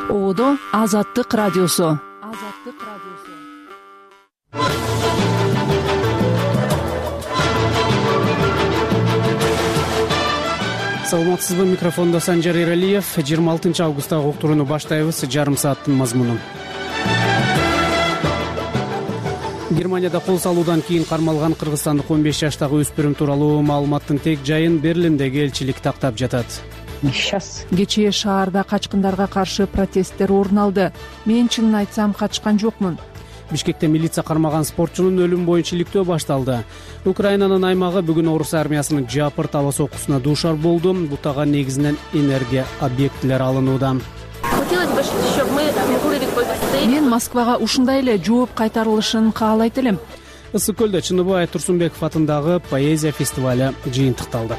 Оодо Азаттык радиосу. Саламатсызбы, микрофондо Санжар Эралиев. 26 августтагы уктурууну баштайбыз. Жарым сааттын мазмуну. Германияда кол салуудан кийин кармалган кыргызстандык 15 жаштагы өспүрүм тууралуу маалыматтын тег жайын Берлиндеги элчилик тактап жатат. Кечээ шаарда качкындарга каршы протесттер орун алды. Мен чынын айтсам качкан жокмун. Бишкекте милиция кармаган спортчунун өлүмү боюнча иликтөө башталды. Украинанын аймагы бүгүн орус армиясынын жапыр таба соккусуна дуушар болду. Бутага негизинен энергия объектилери алынууда. Мен Москвага ушундай эле жооп кайтарылышын каалайт элем. Ысык көлдө Чыныбай Турсунбеков атындагы поэзия фестивалю жыйынтыкталды.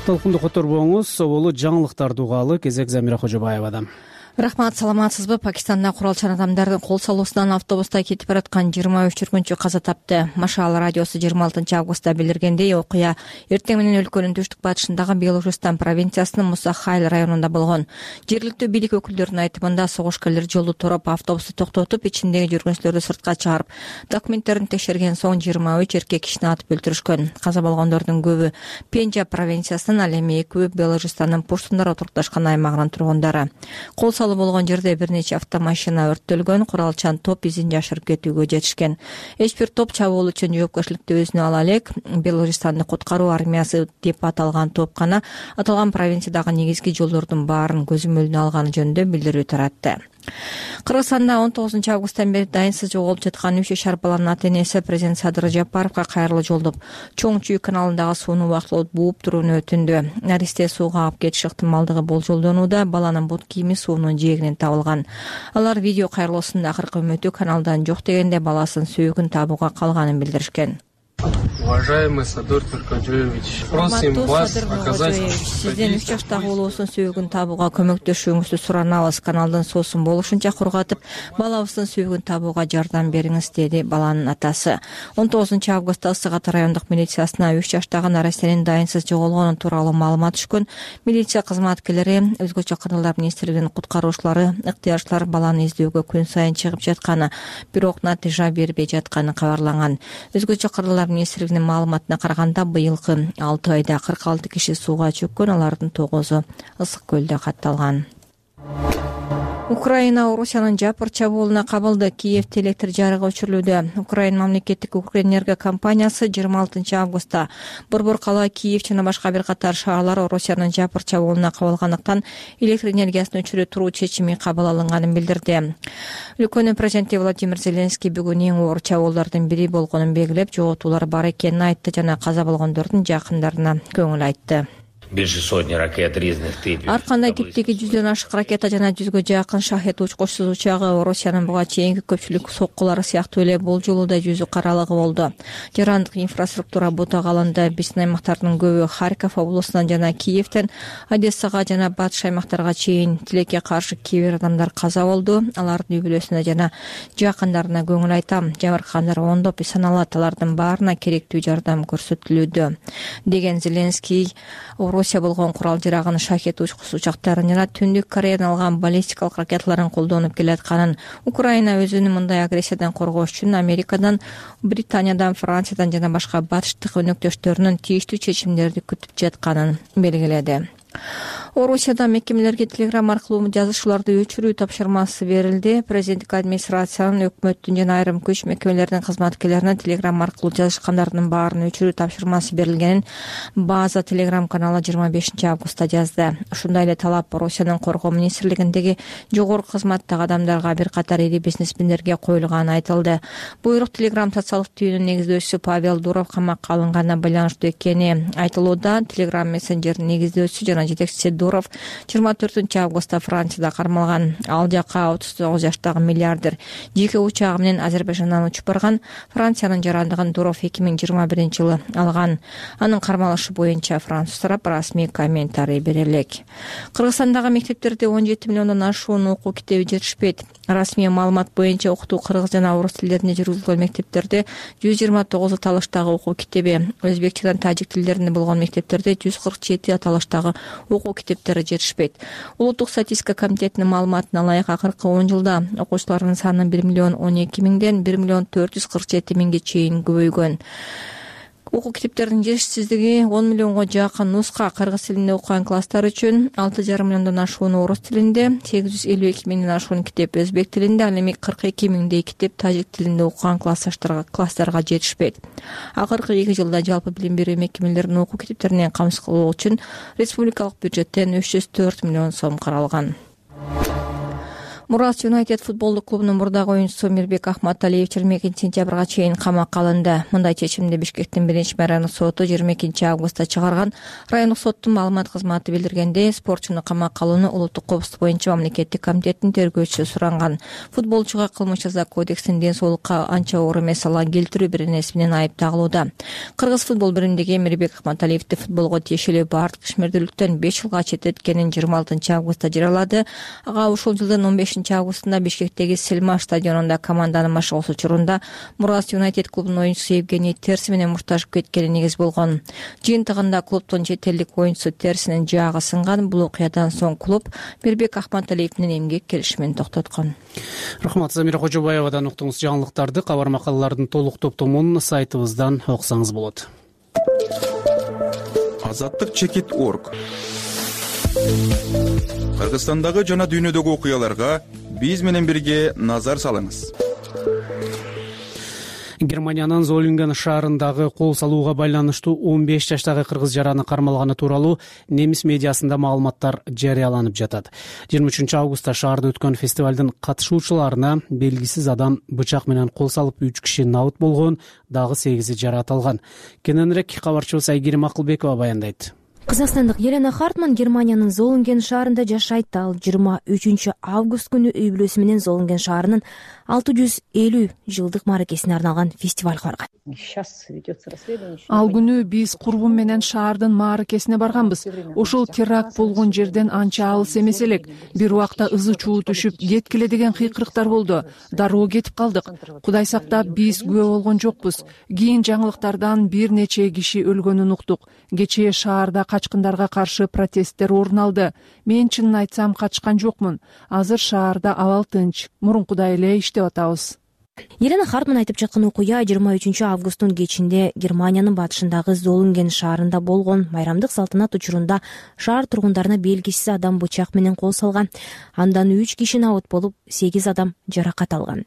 Толкунду которбоңуз, соболу жаңылыктарды угалы. Кезек Замира Кожобаевадан. Рахмат, саламатсызбы? Пакистанда куралчан адамдардын кол салуусунан автобуста кетип бараткан 23 жүргүнчү каза тапты. Машал радиосу 26 августта билдиргендей, окуя эртең менен өлкөнүн түштүк батышындагы Белужистан провинциясынын Мусахайл районунда болгон. Жергиликтүү бийлик өкүлдөрүнүн айтымында согушкерлер жолду тороп автобусту токтотуп, ичиндеги жүргүнчүлөрдү сыртка чыгарып, документтерин текшерген соң 23 эркек кишини атып өлтүрүшкөн. Каза болгондордун көбү Пенджаб провинциясынын, ал эми экөө Белужистанын Пуштундар отурукташкан аймагынын тургундары. Кол болгон жерде бир нече автомашина өрттөлгөн, куралчан топ изин жашырып кетүүгө жетишкен. Эч бир топ чабуул үчүн жоопкерчиликти өзүнө ала элек. Белорустандын куткаруу армиясы деп аталган топ гана аталган провинциядагы негизги жолдордун баарын көзөмөлүнө алганы жөнүндө билдирүү таратты. Кыргызстанда 19 августтан бери дайынсыз жоголуп жаткан 3 жашар баланын ата-энеси президент Садыр Жапаровго кайрылуу жолдоп, Чоң Чүй каналындагы сууну убактылуу бууп турууну өтүндү. Наристе сууга агып кетиш ыктымалдыгы болжолдонууда. Баланын бут кийими суунун жээгинен табылган. Алар видео кайрылуусунун акыркы үмүтү каналдан жок дегенде баласын сөөгүн табууга калганын билдиришкен. Уважаемый Садыр Туркаджоевич, просим вас оказать... Сизден 3 жаштагы уулуңуздун сөөгүн табууга көмөктөшүүңүздү суранабыз. Каналдын суусун болушунча кургатып, балабыздын сөөгүн табууга жардам бериңиз, деди баланын атасы. 19 августта Ысык Ата райондук милициясына 3 жаштагы нарастенин дайынсыз жоголгону тууралуу маалымат түшкөн. Милиция кызматкерлери, өзгөчө кыргыздар министрлигинин куткаруучулары, ыктыярчылар баланы издөөгө күн сайын чыгып жатканы, бирок натыйжа бербей жатканы кабарланган. Өзгөчө кыргыздар министрлигинин маалыматына караганда, быйылкы 6 айда 46 киши сууга чөккөн, алардын 9-у ысык көлдө катталган. Украина Орусиянын жапыр чабуулуна кабылды. Киевде электр жарыгы өчүрүлүүдө. Украина мамлекеттик Укрэнерго компаниясы 26 августта Борбор кала, Киев жана башка бир катар шаарлар Орусиянын жапыр чабуулуна кабылгандыктан электр энергиясын өчүрө туруу чечими кабыл алынганын билдирди. Өлкөнүн президенти Владимир Зеленский бүгүн эң оор чабуулдардын бири болгонун белгилеп, жоготуулар бар экенин айтты жана каза болгондордун жакындарына көңүл айтты. Ар кандай типтеги 100дөн ашык ракета жана 100гө жакын шахет учкучсуз учагы Орусиянын буга чейинки көпчүлүк соккулары сыяктуу эле бул жолу да жүзү каралыгы болду. Жарандык инфраструктура бутага алынды. Биздин аймактардын көбү Харьков облусунан жана Киевден Одессага жана батыш аймактарга чейин тилекке каршы кээ бир адамдар каза болду. Алардын үй бүлөсүнө жана жакындарына көңүл айтам. Жабыркагандар ондоп саналат. Алардын баарына керектүү жардам көрсөтүлүүдө, деген Зеленский. Орусия болгон курал-жарагын, шахет учкучсуз учактарын жана Түндүк Кореядан алган баллистикалык ракеталарын колдонуп келатканын, Украина өзүнүн мындай агрессиядан коргош үчүн Америкадан, Британиядан, Франциядан жана башка батыштык өнөктөштөрүнүн тийиштүү чечимдерди күтүп жатканын белгиледи. Орусияда мекемелерге телеграмма аркылуу жазышууларды өчүрүү тапшырмасы берилди. Президенттик администрациянын, өкмөттүн жана айрым күч мекемелеринин кызматкерлерине телеграмма аркылуу жазышкандардын баарын өчүрүү тапшырмасы берилгенин База телеграм каналы 25 августта жазды. Ушундай эле талап Орусиянын коргоо министрлигиндеги жогорку кызматтагы адамдарга, бир катар ири бизнесмендерге коюлганы айтылды. Буйрук телеграм социалдык түйүнүн негиздөөчүсү Павел Дуров камакка алынганына байланыштуу экени айтылууда. Телеграм мессенджердин негиздөөчүсү жана жетекчиси Дуров 24 августта Францияда кармалган. Ал жака 39 жаштагы миллиардер жеке учагы менен Азербайжандан учуп барган. Франциянын жарандыгын Дуров 2021 жылы алган. Анын кармалышы боюнча француз тарап расмий комментарий бере элек. Кыргызстандагы мектептерде 17 миллиондон ашуун окуу китеби жетишпейт. Расмий маалымат боюнча окутуу кыргыз жана орус тилдеринде жүргүзүлгөн мектептерде 129 аталыштагы окуу китеби, өзбек жана тажик тилдеринде болгон мектептерде 147 аталыштагы окуу китеби китептери жетишпейт. Улуттук статистика комитетинин маалыматына ылайык акыркы 10 жылда окуучулардын саны 1 миллион 12 миңден 1 миллион 447 миңге чейин көбөйгөн. Окуу китептеринин жетишсиздиги 10 миллионго жакын нуска кыргыз тилинде окуган класстар үчүн, 6,5 миллиондон ашууну орус тилинде, 852 миңден ашуун китеп өзбек тилинде, ал эми 42 миңдей китеп тажик тилинде окуган класстарга жетишпейт. Акыркы 2 жылда жалпы билим берүү мекемелеринин окуу китептеринен камсыз кылуу үчүн республикалык бюджеттен 304 миллион сом каралган. Мурас Юнайтед футболдук клубунун мурдагы оюнчусу Мирбек Ахматалиев 22-сентябрга чейин камакка алынды. Мындай чечимди Бишкектин 1-райондук соту 22-августта чыгарган. Райондук соттун маалымат кызматы билдиргендей, спортчуну камакка алууну улуттук коопсуздук боюнча мамлекеттик комитеттин тергөөчүсү суранган. Футболчуга кылмыш жаза кодексинин ден соолукка анча оор эмес залал келтирүү беренеси менен айып тагылууда. Кыргыз футбол биримдиги Мирбек Ахматалиевди футболго тиешелүү баардык ишмердүүлүктөн 5 жылга четтеткенин 26-августта жарыялады. Ага ушул жылдын 15-августунда Бишкектеги Селма стадионунда команданын машыгуусу учурунда Мурас Юнайтед клубунун оюнчусу Евгений Терси менен мушташып кеткени негиз болгон. Жыйынтыгында клубдун чет элдик оюнчусу Терсинин жаагы сынган. Бул окуядан соң клуб Мирбек Ахматалиев менен эмгек келишимин токтоткон. Рахмат, Замира Кожобаевадан уктуңуз. Жаңылыктарды, кабар макалалардын толук топтомун сайтыбыздан окусаңыз болот. Азаттык.org. Кыргызстандагы жана дүйнөдөгү окуяларга биз менен бирге назар салыңыз. Германиянын Золинген шаарындагы кол салууга байланыштуу 15 жаштагы кыргыз жараны кармалганы тууралуу немис медиасында маалыматтар жарыяланып жатат. 23-августта шаарда өткөн фестивалдын катышуучуларына белгисиз адам бычак менен кол салып 3 киши набыт болгон, дагы 8 жаракат алган. Кененирээк кабарчыбыз Айгерим Акылбекова баяндайт. Кыргызстандык Елена Хартман Германиянын Золинген шаарында жашайт. Ал 23-август күнү үй бүлөсү менен Золинген шаарынын 650 жылдык мааракесине арналган фестивалга барган. Ал күнү биз курбум менен шаардын мааракесине барганбыз. Ошол теракт болгон жерден анча алыс эмес элек. Бир убакта ызы чуу түшүп, кеткиле деген кыйкырыктар болду. Дароо кетип калдык. Кудай сактап, биз күбө болгон жокпуз. Кийин жаңылыктардан бир нече киши өлгөнүн уктук. Кечээ шаарда качкындарга каршы протесттер орун алды. Мен чынын айтсам качкан жокмун. Азыр шаарда абал тынч. Мурункудай эле иштеп атабыз. Елена Хартман айтып жаткан окуя 23-августтун кечинде Германиянын батышындагы Золинген шаарында болгон. Майрамдык салтанат учурунда шаар тургундарына белгисиз адам бычак менен кол салган. Андан 3 киши набыт болуп, 8 адам жаракат алган.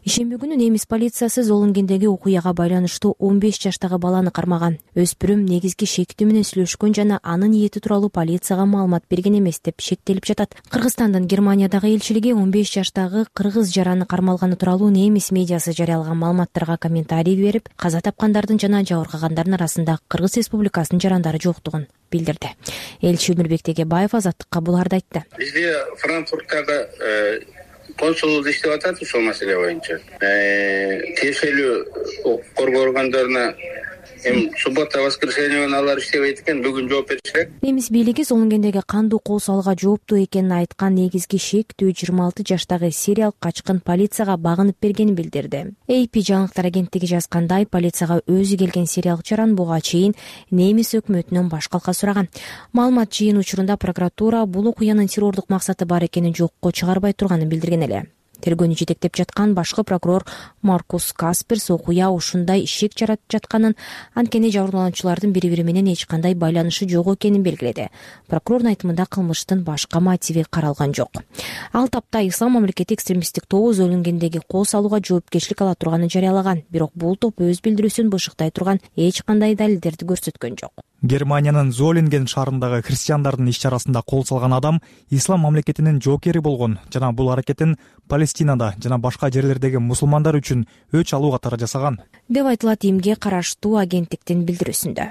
Ишемби күнү немис полициясы Золингендеги окуяга байланыштуу 15 жаштагы баланы кармаган. Өспүрүм негизги шектүү менен сүйлөшкөн жана анын ниети тууралуу полицияга маалымат берген эмес деп шектелип жатат. Кыргызстандын Германиядагы элчилиги 15 жаштагы кыргыз жараны кармалганы тууралуу немис медиасы жарыялаган маалыматтарга комментарий берип, каза тапкандардын жана жабыркагандардын арасында Кыргыз Республикасынын жарандары жоктугун билдирди. Элчи Өмүрбек Тегебаев Азаттыкка буларды айтты. Бизде Франкфурттагы консулдук иштеп атат ушул маселе боюнча. Тиешелүү коргоо органдарына суббота, воскресенье алар иштебейт экен, бүгүн жооп беришет. Немис бийлиги Золингендеги кандуу кол салууга жооптуу экенин айткан негизги шектүү 26 жаштагы сириялык качкын полицияга багынып бергенин билдирди. AP жаңылыктар агенттиги жазгандай, полицияга өзү келген сириялык жаран буга чейин немис өкмөтүнөн баш калка сураган. Маалымат жыйын учурунда прокуратура бул окуянын террордук максаты бар экенин жокко чыгарбай турганын билдирген эле. Тергөөнү жетектеп жаткан башкы прокурор Маркус Касперс окуя ушундай ишек жаратып жатканын, анткени жабырлануучулардын бири-бири менен эч кандай байланышы жок экенин белгиледи. Прокурордун айтымында кылмыштын башка мотиви каралган жок. Ал тапта Ислам мамлекети экстремисттик тобу Золингендеги кол салууга жоопкерчилик ала турганын жарыялаган, бирок бул топ өз билдирүүсүн бышыктай турган эч кандай далилдерди көрсөткөн жок. Германиянын Золинген шаарындагы христиандардын иш-чарасында кол салган адам Ислам мамлекетинин жоокери болгон жана бул аракетин Палестинада жана башка жерлердеги мусулмандар үчүн өч алуу катары жасаган деп айтылат Имге караштуу агенттиктин билдирүүсүндө.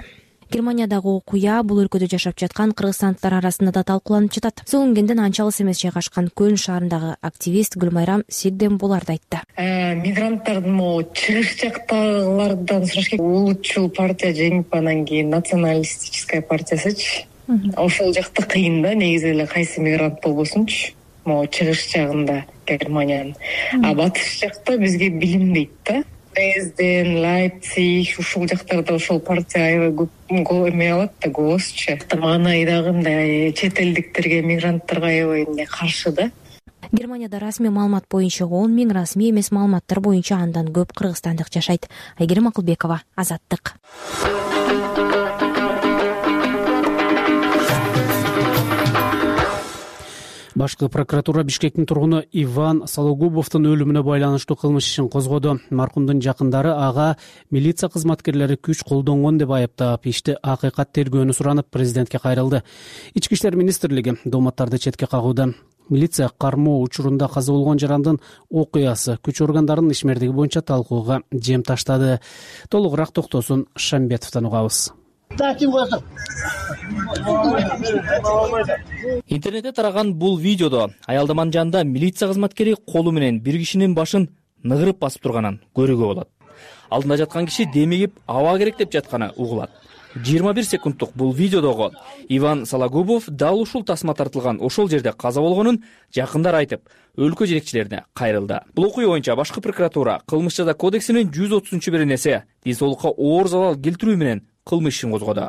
Германиядагы окуя бул өлкөдө жашап жаткан кыргызстандыктар арасында да талкууланып жатат. Золингенден анча алыс эмес жайгашкан Көлн шаарындагы активист Гүлмайрам Сигден буларды айтты. Мигранттардын чыгыш жактагылардан сурашка, улутчул партия жеңип анан кийин националистическая партиясычы. Ошол жакта кыйын да, негизи эле кайсы мигрант болбосунчу. Чыгыш жагында Германиянын. А батыш жакта бизге билинбейт да. Дрезден, Лейпциг ушул жактарда ошол партия аябай көп эме алат да, голосчу. Мага айдагындай чет элдиктерге, мигранттарга аябай каршы да. Германияда расмий маалымат боюнча 10 000, расмий эмес маалыматтар боюнча андан көп кыргызстандык жашайт. Айгерим Акылбекова, Азаттык. Башкы прокуратура Бишкектин тургуну Иван Сологубовдун өлүмүнө байланыштуу кылмыш ишин козгоду. Маркумдун жакындары ага милиция кызматкерлери күч колдонгон деп айыптап, ишти акыйкат тергөөнү суранып президентке кайрылды. Ички иштер министрлиги дооматтарды четке кагууда. Милиция кармоо учурунда каза болгон жарандын окуясы күч органдарынын ишмердиги боюнча талкууга жем таштады. Толугураак токтосун Шамбетовдон угабыз. Интернетте тараган бул видеодо аялдаманын жанында милиция кызматкери колу менен бир кишинин башын ныгырып басып турганын көрүүгө болот. Алдында жаткан киши демигип аба керек деп жатканы угулат. 21 секундтук бул видеодогу Иван Сологубов дал ушул тасма тартылган ошол жерде каза болгонун жакындар айтып, өлкө жетекчилерине кайрылды. Бул окуя боюнча башкы прокуратура кылмыш жаза кодексинин 130-беренеси денсаулыкка оор залал келтирүү менен кылмыш ишин козгоду.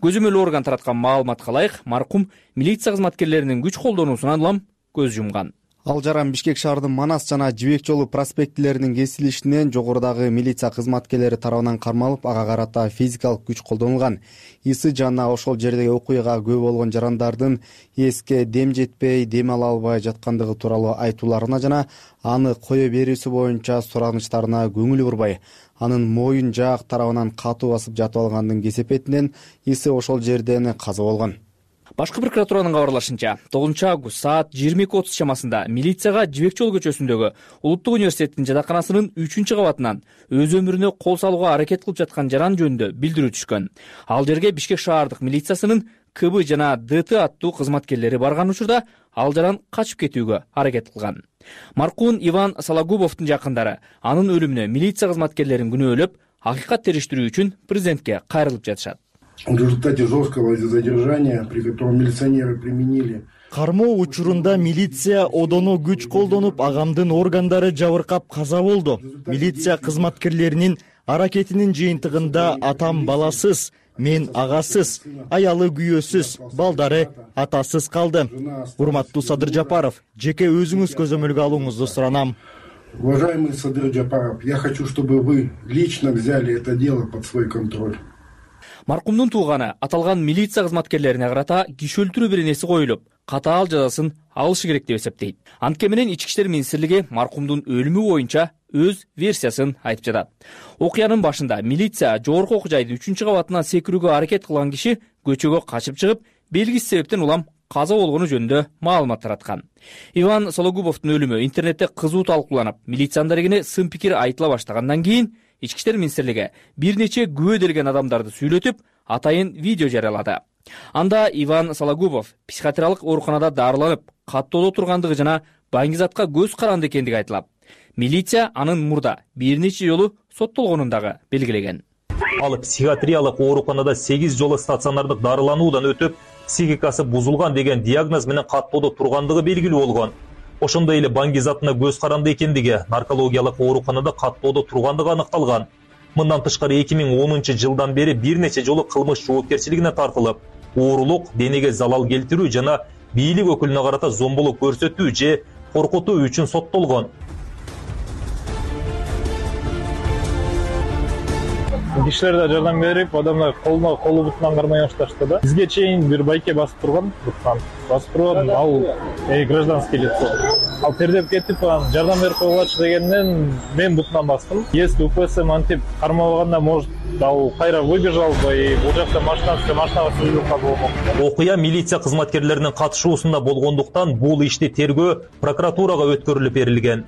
Көзөмөл орган тараткан маалыматка ылайык, маркум милиция кызматкерлеринин күч колдонуусунан улам көз жумган. Ал жаран Бишкек шаарынын Манас жана Жибек жолу проспектилеринин кесилишинен жогорудагы милиция кызматкерлери тарабынан кармалып, ага карата физикалык күч колдонулган. Исы жана ошол жердеги окуяга күбө болгон жарандардын эске дем жетпей, дем ала албай жаткандыгы тууралуу айтууларына жана аны кое берүүсү боюнча суранычтарына көңүл бурбай, анын моюн жаак тарабынан катуу басып жатып алгандын кесепетинен Исы ошол жерден каза болгон. Башкы прокуратуранын кабарлашынча, 9-август саат 22:30 чамасында милицияга Жибек жол көчөсүндөгү Улуттук университеттин жатаканасынын 3-кабатынан өз өмүрүнө кол салууга аракет кылып жаткан жаран жөнүндө билдирүү түшкөн. Ал жерге Бишкек шаардык милициясынын КБ жана ДТ аттуу кызматкерлери барган учурда ал жаран качып кетүүгө аракет кылган. Маркум Иван Сологубовдун жакындары анын өлүмүнө милиция кызматкерлерин күнөөлөп, акыйкат териштирүү үчүн президентке кайрылып жатышат. В результате жесткого задержания, при котором милиционеры применили кармоо учурунда милиция одоно күч колдонуп, агамдын органдары жабыркап каза болду. Милиция кызматкерлеринин аракетинин жыйынтыгында атам баласыз, мен агасыз, аялы күйөөсүз, балдары атасыз калды. Урматтуу Садыр Жапаров, жеке өзүңүз көзөмөлгө алууңузду суранам. Уважаемый Садыр Жапаров, я хочу, чтобы вы лично взяли это дело под свой контроль. Маркумдун тууганы аталган милиция кызматкерлерине карата киши өлтүрүү беренеси коюлуп, катаал жазасын алышы керек деп эсептейт. Анткени менен Ички иштер министрлиги маркумдун өлүмү боюнча өз версиясын айтып жатат. Окуянын башында милиция жогорку окуу жайдын 3-кабатынан секирүүгө аракет кылган киши көчөгө качып чыгып, белгисиз себептен улам каза болгону жөнүндө маалымат тараткан. Иван Сологубовдун өлүмү интернетте кызуу талкууланып, милициянын дарегине сын пикир айтыла баштагандан кийин Ички иштер министрлиги бир нече күбө делген адамдарды сүйлөтүп, атайын видео жарыялады. Анда Иван Сологубов психиатриялык ооруканада дарыланып, каттоодо тургандыгы жана баңгизатка көз каранды экендиги айтылат. Милиция анын мурда бир нече жолу соттолгонун дагы белгилеген. Ал психиатриялык ооруканада 8 жолу стационардык дарылануудан өтүп, психикасы бузулган деген диагноз менен каттоодо тургандыгы белгилүү болгон. Ошондой эле баңгизатына көз каранды экендиги, наркологиялык ооруканада каттоодо тургандыгы аныкталган. Мындан тышкары 2010 жылдан бери бир нече жолу кылмыш жоопкерчилигине тартылып, оорулук, денеге залал келтирүү жана бийлик өкүлүнө карата зомбулук көрсөтүү же коркутуу үчүн соттолгон. Кишилерге жардам берип, адамдар колу бутунан кармай башташты да. Бизге чейин бир байке басып турган, ал гражданский лицо. Ал тердеп кетип, жардам берип койгулачы дегенден мен бутунан бастым. Если УПС мантип кармабаганда, может, ал кайра выбежал бы, и бул жакта машинага сүзүлүп калган. Окуя милиция кызматкерлеринин катышуусунда болгондуктан бул ишти тергөө прокуратурага өткөрүлүп берилген.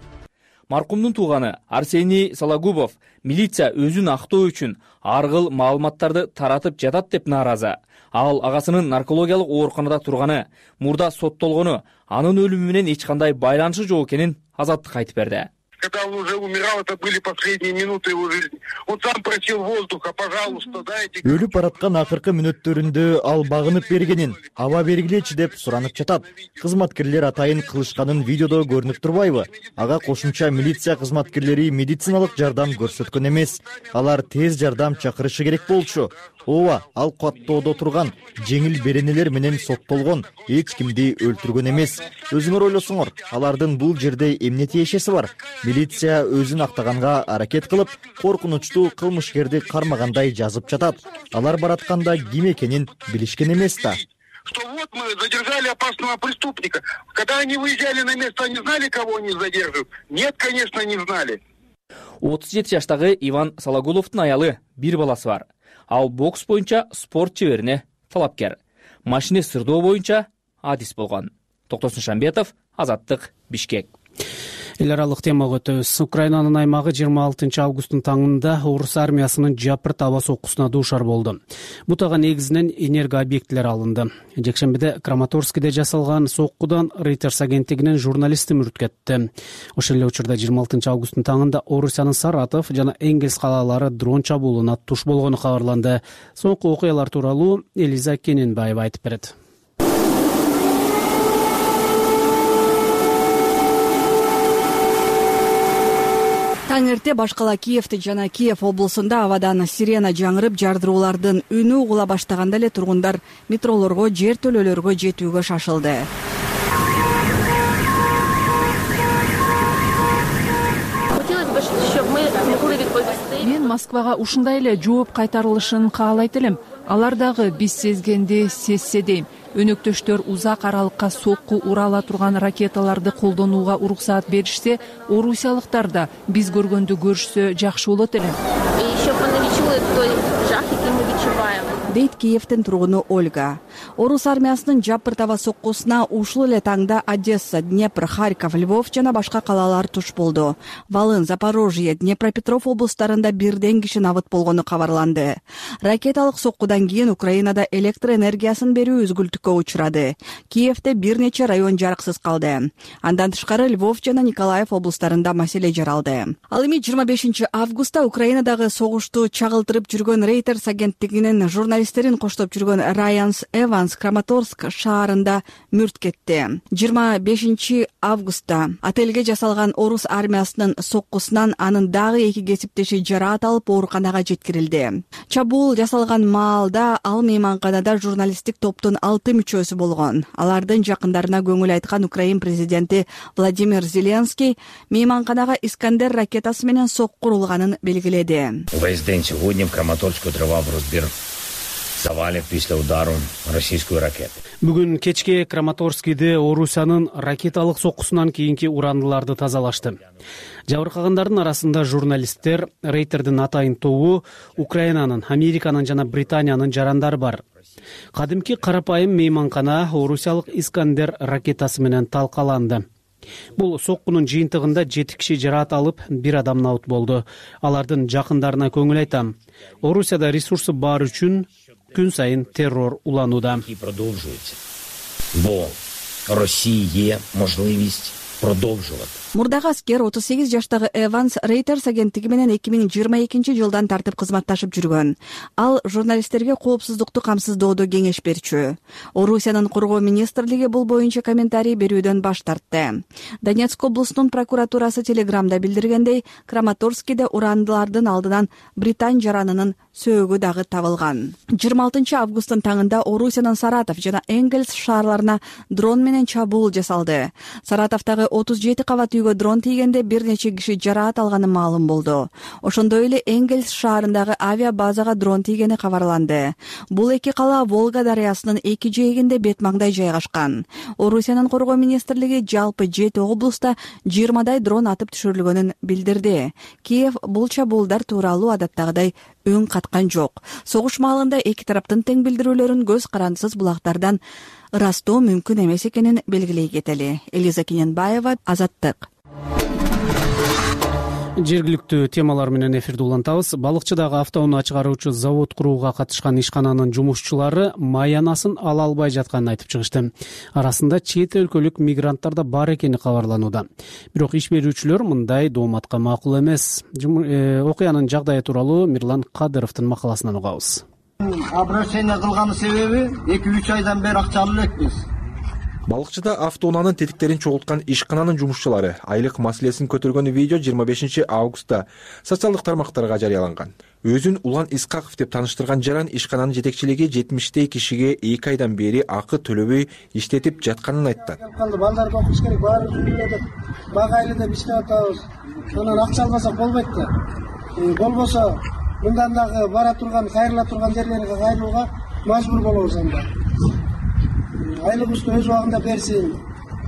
Маркумдун тууганы Арсений Сологубов милиция өзүн актоо үчүн ар кыл маалыматтарды таратып жатат деп нааразы. Ал агасынын наркологиялык ооруканада турганы, мурда соттолгону, анын өлүмү менен эч кандай байланышы жок экенин Азаттыкка айтып берди. когда он уже умирал, это были последние минуты его жизни. Он сам просил воздуха, пожалуйста, дайте. Өлүп бараткан акыркы мүнөттөрүндө ал багынып бергенин, аба бергилечи деп суранып жатат. Кызматкерлер атайын кылышканын видеодо көрүнүп турбайбы? Ага кошумча милиция кызматкерлери медициналык жардам көрсөткөн эмес. Алар тез жардам чакырышы керек болчу. Ооба, ал каттоодо турган жеңил беренелер менен соттолгон, эч кимди өлтүргөн эмес. Өзүңөр ойлосоңор, алардын бул жерде эмне тиешеси бар? Милиция өзүн актаганга аракет кылып, коркунучтуу кылмышкерди кармагандай жазып жатат. Алар баратканда ким экенин билишкен эмес да. Что вот мы задержали опасного преступника. Когда они выезжали на место, они знали, кого они задерживают? Нет, конечно, не знали. 37 жаштагы Иван Салагуловдун аялы, бир баласы бар. Ал бокс боюнча спорт чеберине талапкер. Машина сырдоо боюнча адис болгон. Токтосун Шамбетов, Азаттык, Бишкек. Эл аралык темага өтөбүз. Украинанын аймагы 26 августтун таңында орус армиясынын жапырт аба соккусуна дуушар болду. Бутага негизинен энерго объектилер алынды. Жекшембиде Краматорскиде жасалган соккудан Reuters агенттигинин журналисти мүрт кетти. Ошол эле учурда 26 августтун таңында Орусиянын Саратов жана Энгельс калалары дрон чабуулуна туш болгону кабарланды. Соңку окуялар тууралуу Элиза Кененбаева айтып берет. Таң эрте баш кала Киевти жана Киев облусунда абадан сирена жаңырып, жардыруулардын үнү угула баштаганда эле тургундар метролорго, жер төлөлөргө жетүүгө шашылды. Мен Москвага ушундай эле жооп кайтарылышын каалайт элем. Алар дагы биз сезгенди сезсе дейм. Өнөктөштөр узак аралыкка сокку ура ала турган ракеталарды колдонууга уруксаат беришсе, орусиялыктар да биз көргөндү көрүшсө жакшы болот эле. Дейт Киевтин тургуну Ольга. Орус армиясынын жапырт аба соккусуна ушул эле таңда Одесса, Днепр, Харьков, Львов жана башка калалар туш болду. Волын, Запорожье, Днепропетров облустарында бирден киши набыт болгону кабарланды. Ракеталык соккудан кийин Украинада электр энергиясын берүү үзгүлтүккө учурады. Киевде бир нече район жарыксыз калды. Андан тышкары Львов жана Николаев облустарында маселе жаралды. Ал эми 25 августта Украинадагы согушту чагылтырып жүргөн Reuters агенттигинин журналисттерин коштоп жүргөн Райан Эванс Краматорск шаарында мүрт кетти. 25 августта отелге жасалган орус армиясынын соккусунан анын дагы эки кесиптеши жараат алып ооруканага жеткирилди. Чабуул жасалган маалда ал мейманканада журналисттик топтун 6 мүчөсү болгон. Алардын жакындарына көңүл айткан Украин президенти Владимир Зеленский мейманканага Искандер ракетасы менен сокку урулганын белгиледи. Весь день сегодня в Краматорске тривав розбір завалів після удару російської ракети. Бүгүн кечке Краматорскиде Орусиянын ракеталык соккусунан кийинки урандыларды тазалашты. Жабыркагандардын арасында журналисттер, Рейтердин атайын тобу, Украинанын, Американын жана Британиянын жарандары бар. Кадимки карапайым мейманкана орусиялык Искандер ракетасы менен талкаланды. Бул соккунун жыйынтыгында 7 киши жараат алып, 1 адам набыт болду. Алардын жакындарына көңүл айтам. Орусияда ресурсы бар үчүн күн сайын террор уланууда. Бо Росия є можливість продовжувати. Мурдагы аскер 38 жаштагы Эванс Reuters агенттиги менен 2022 жылдан тартып кызматташып жүргөн. Ал журналисттерге коопсуздукту камсыздоодо кеңеш берчү. Орусиянын коргоо министрлиги бул боюнча комментарий берүүдөн баш тартты. Донецк облусунун прокуратурасы Телеграмда билдиргендей, Краматорскиде урандылардын алдынан Британ жаранынын сөөгү дагы табылган. 26 августтун таңында Орусиянын Саратов жана Энгельс шаарларына дрон менен чабуул жасалды. Саратовдагы 37 кабат үйгө дрон тийгенде бир нече киши жараат алганы маалым болду. Ошондой эле Энгельс шаарындагы авиа базага дрон тийгени кабарланды. Бул эки кала Волга дарыясынын эки жээгинде бет маңдай жайгашкан. Орусиянын коргоо министрлиги жалпы 7 облуста 20дай дрон атып түшүрүлгөнүн билдирди. Киев бул чабуулдар тууралуу адаттагыдай үн каткан жок. Согуш маалында эки тараптын тең билдирүүлөрүн көз карандысыз булактардан ырастоо мүмкүн эмес экенин белгилей кетели. Элиза Кененбаева, Азаттык. Жергиликтүү темалар менен эфирди улантабыз. Балыкчыдагы автоунаа чыгаруучу завод курууга катышкан ишкананын жумушчулары маянасын ала албай жатканын айтып чыгышты. Арасында чет өлкөлүк мигранттар да бар экени кабарланууда. Бирок иш берүүчүлөр мындай дооматка макул эмес. Окуянын жагдайы тууралуу Мирлан Кадыровдун макаласынан угабыз. Обращение кылган себеби 2-3 айдан бери акча алып элекпиз. Балыкчыда автоунаанын тетиктерин чогулткан ишкананын жумушчулары айлык маселесин көтөргөн видео 25 августта социалдык тармактарга жарыяланган. Өзүн Улан Исқақов деп таныштырган жаран ишкананын жетекчилиги 70 кишиге 2 айдан бери акы төлөбөй иштетип жатканын айтты. Балдарды окуш керек, баары жүргүлөдүк. Багайлы деп иштеп атабыз. Анан акча албасак болбойт да. Болбосо мындан дагы бара турган, кайрыла турган жерлерге кайрылууга мажбур болобуз анда. Айлыгыбызды өз убагында берсин.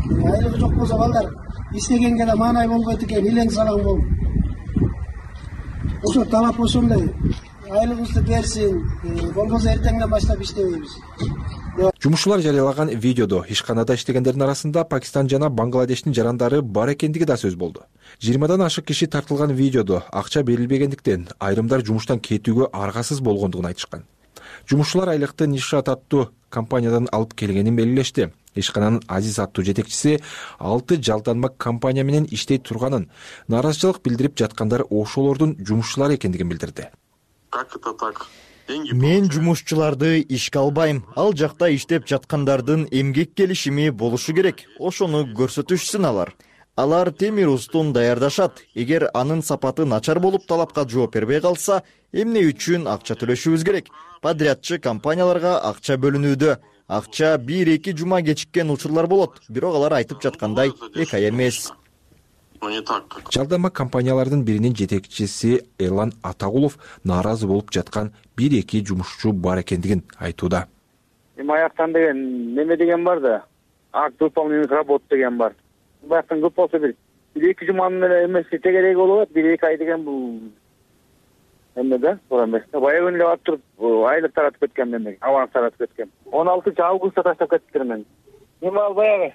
Айлыгы жок болсо балдар иштегенге да маанай болбойт экен, илең салаң болуп. Ошо талап ошондой. Айлыгыбызды берсин, болбосо эртеңден баштап иштебейбиз. Жумушчулар жарыялаган видеодо ишканада иштегендердин арасында Пакистан жана Бангладештин жарандары бар экендиги да сөз болду. 20дан ашык киши тартылган видеодо акча берилбегендиктен айрымдар жумуштан кетүүгө аргасыз болгондугун айтышкан. Жумушчулар айлыкты Нишат аттуу компаниядан алып келгенин белгилешти. Ишкананын Азиз аттуу жетекчиси 6 жалданма компания менен иштей турганын, нааразычылык билдирип жаткандар ошолордун жумушчулары экендигин билдирди. Как это так? Мен жумушчуларды ишке албайм. Ал жакта иштеп жаткандардын эмгек келишими болушу керек. Ошону көрсөтүшсүн алар. Алар темир устун даярдашат. Эгер анын сапаты начар болуп талапка жооп бербей калса, эмне үчүн акча төлөшүбүз керек? Подрядчы компанияларга акча бөлүнүүдө. Акча 1-2 жума кечиккен учурлар болот. Бирок алар айтып жаткандай 2 ай эмес. Жалдама компаниялардын биринин жетекчиси Эрлан Атагулов нааразы болуп жаткан 1-2 жумушчу бар экендигин айтууда. Аяктан деген неме деген бар да. Акт выполненных работ деген бар. Баяктан көп болсо 1-2 жуманын эле эмес тегереги болот, 1-2 ай деген бул эме да, туура эмес. Баягы эле барып туруп айлык таратып кеткен мен, аванс таратып кеткен. 16 августта таштап кетиптир мен. Эми баягы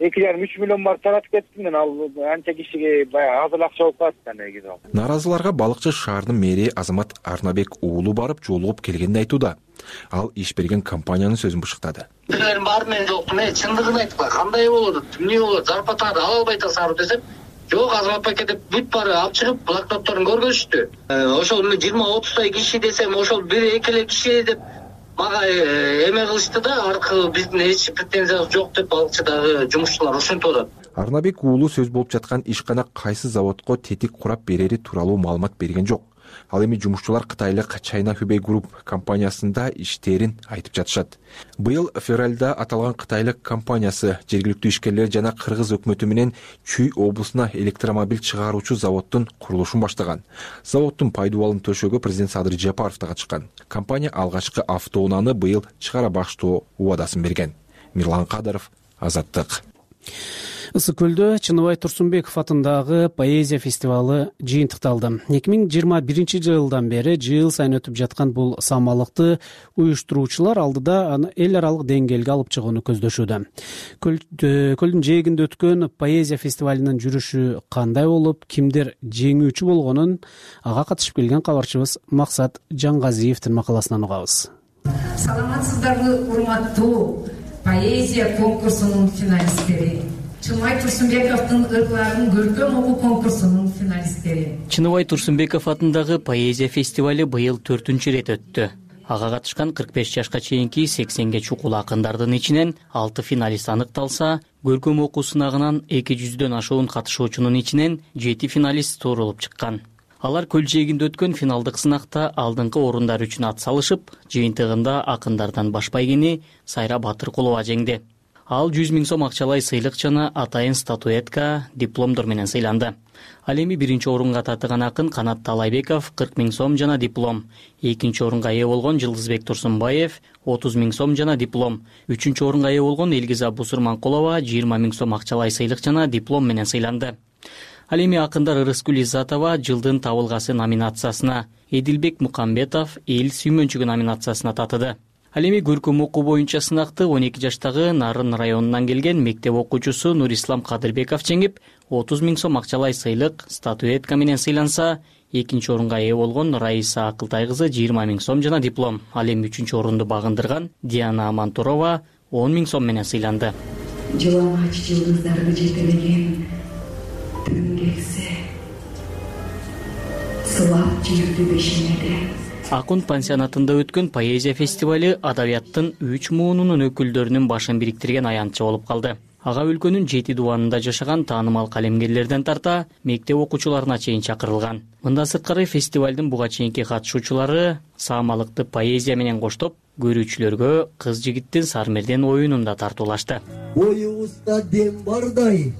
2,5-3 миллион бар таратып кеттим мен, ал анча кишиге баягы азыр акча болуп калат негизи. Нааразыларга Балыкчы шаарынын мэри Азамат Арнабек уулу барып жолугуп келгенин айтууда. Ал иш берген компаниянын сөзүн бышыктады. Билерим бар мен жоктум, чындыгын айтпа, кандай болот, эмне болот, зарплатаңды ала албай атасыңар десем, жок, Азамат паке деп бүт баары алып чыгып, блокнотторун көргөзүштү. Ошол 20-30 киши десем, ошол 1-2 киши деп мага эме кылышты да, аркы биздин эч претензиябыз жок деп Балыкчыдагы жумушчулар ошентип атат. Арнабек уулу сөз болуп жаткан ишкана кайсы заводко тетик курап берери тууралуу маалымат берген жок. Ал эми жумушчулар кытайлык China Hubei Group компаниясында иштерин айтып жатышат. Быйыл февралда аталган кытайлык компаниясы жергиликтүү ишкерлер жана кыргыз өкмөтү менен Чүй облусуна электромобиль чыгаруучу заводдун курулушун баштаган. Заводдун пайдубалын төшөөгө президент Садыр Жапаров да катышкан. Компания алгачкы автоунааны быйыл чыгара баштоо убадасын берген. Мирлан Кадыров, Азаттык. Ысык көлдө Чыныбай Турсунбеков атындагы поэзия фестивалы жыйынтыкталды. 2021 жылдан бери жыл сайын өтүп жаткан бул самалыкты уюштуруучулар алдыда аны эл аралык деңгээлге алып чыгууну көздөшүүдө. Көлдүн жээгинде өткөн поэзия фестивалынын жүрүшү кандай болуп, кимдер жеңүүчү болгонун ага катышып келген кабарчыбыз Максат Жаңгазиевдин макаласынан угабыз. Саламатсыздарбы, урматтуу поэзия конкурсунун финалисттери. Чыныбай Турсунбековдун ырларын көркөм окуу конкурсунун финалисттери. Чыныбай Турсунбеков атындагы поэзия фестивали быйыл 4-чү рет өттү. Ага катышкан 45 жашка чейинки 80ге чукул акындардын ичинен 6 финалист аныкталса, көркөм окуу сынагынан 200дөн ашуун катышуучунун ичинен 7 финалист туурулуп чыккан. Алар көл жээгинде өткөн финалдык сынакта алдыңкы орундар үчүн ат салышып, жыйынтыгында акындардан баш байгени Сайра Батыркулова жеңди. Ал 100 000 сом акчалай сыйлык жана атайын статуэтка, дипломдор менен сыйланды. Ал эми биринчи орунга татыган акын Канат Талайбеков 40 000 сом жана диплом, экинчи орунга ээ болгон Жылдызбек Турсунбаев 30 000 сом жана диплом, үчүнчү орунга ээ болгон Элгиза Бусурманкулова 20 000 сом акчалай сыйлык жана диплом менен сыйланды. Ал эми акындар Ырыскүл Иззатова жылдын табылгасы номинациясына, Эдилбек Мукамбетов эл сүймөнчүгү номинациясына татыды. Ал эми көркөм окуу боюнча сынакты 12 жаштагы Нарын районунан келген мектеп окуучусу Нурислам Кадырбеков жеңип, 30 000 сом акчалай сыйлык, статуэтка менен сыйланса, экинчи орунга ээ болгон Раиса Акылтай кызы 20 000 сом жана диплом. Ал эми 3-чү орунду багындырган Диана Амантурова 10 000 сом менен сыйланды. Жыламач жылдыздарды жетелеген түн келсе, сылап жерди бешинеде. Акун пансионатында өткөн поэзия фестиваль адабияттын 3 муунунун өкүлдөрүнүн башын бириктирген аянтчы болуп калды. Ага өлкөнүн 7 дубанында жашаган таанымал калемгерлерден тарта мектеп окуучуларына чейин чакырылган. Мындан сырткары фестивалдын буга чейинки катышуучулары саамалыкты поэзия менен коштоп, көрүүчүлөргө кыз жигиттин Сармерден оюнунда тартуулашты. Оюбузда дем бардай,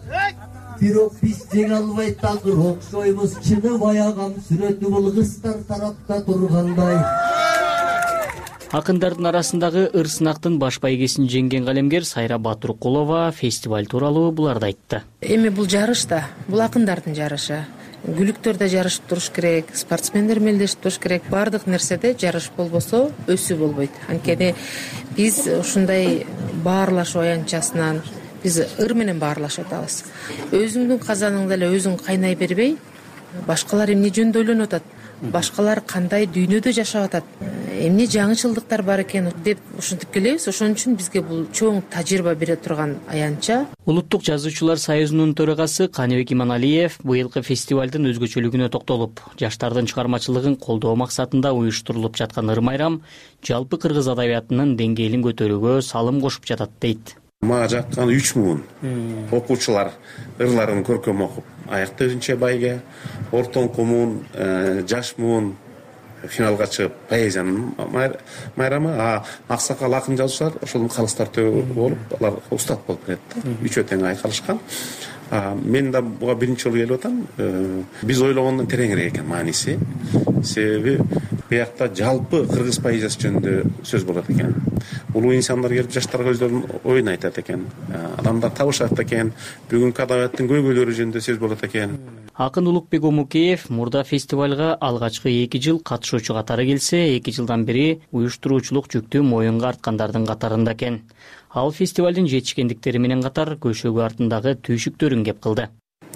бирок биз жеңе албай такыр окшойбуз, чыны баягам сүрөтү бул кыздар тарапта тургандай. Акындардын арасындагы ыр сынактын баш байгесин жеңген калемгер Сайра Батуркулова фестиваль тууралуу буларды айтты. Эми бул жарыш да, бул акындардын жарышы. Күлүктөр да жарышып туруш керек, спортсмендер мелдешип туруш керек. Бардык нерседе жарыш болбосо өсүү болбойт. Анткени биз ушундай баарлашуу аянтчасынан биз ыр менен баарлашып атабыз. Өзүңдүн казаныңда эле өзүң кайнай бербей, башкалар эмне жөнүндө ойлонуп атат, башкалар кандай дүйнөдө жашап атат, эмне жаңычылдыктар бар экен деп ушинтип келебиз. Ошон үчүн бизге бул чоң тажрыйба бере турган аянтча. Улуттук жазуучулар союзунун төрагасы Каныбек Иманалиев быйылкы фестивалдын өзгөчөлүгүнө токтолуп, жаштардын чыгармачылыгын колдоо максатында уюштурулуп жаткан ыр майрам жалпы кыргыз адабиятынын деңгээлин көтөрүүгө салым кошуп жатат дейт. Мага жаккан 3 муун окуучулар ырларын көркөм окуп, аяктыгынча байге, ортоңку муун, жаш муун финалга чыгып поэзиянын майрамы, аксакал акын жазуучулар ошолдун калыстар төбө болуп, алар устат болуп келет. Үчөө тең айкалышкан. Мен да буга биринчи жолу келип атам. Биз ойлогондон тереңирээк экен мааниси. Себеби биякта жалпы кыргыз поэзиясы жөнүндө сөз болот экен. Улуу инсандар келип жаштарга өздөрүнүн оюн айтат экен. Адамдар табышат экен. Бүгүнкү адабияттын көйгөйлөрү жөнүндө сөз болот экен. Акын Улукбек Омукеев мурда фестивалга алгачкы 2 жыл катышуучу катары келсе, 2 жылдан бери уюштуруучулук жүктү моюнга арткандардын катарында экен. Ал фестивалдын жетишкендиктери менен катар көшөгү артындагы түйшүктөрүн кеп кылды.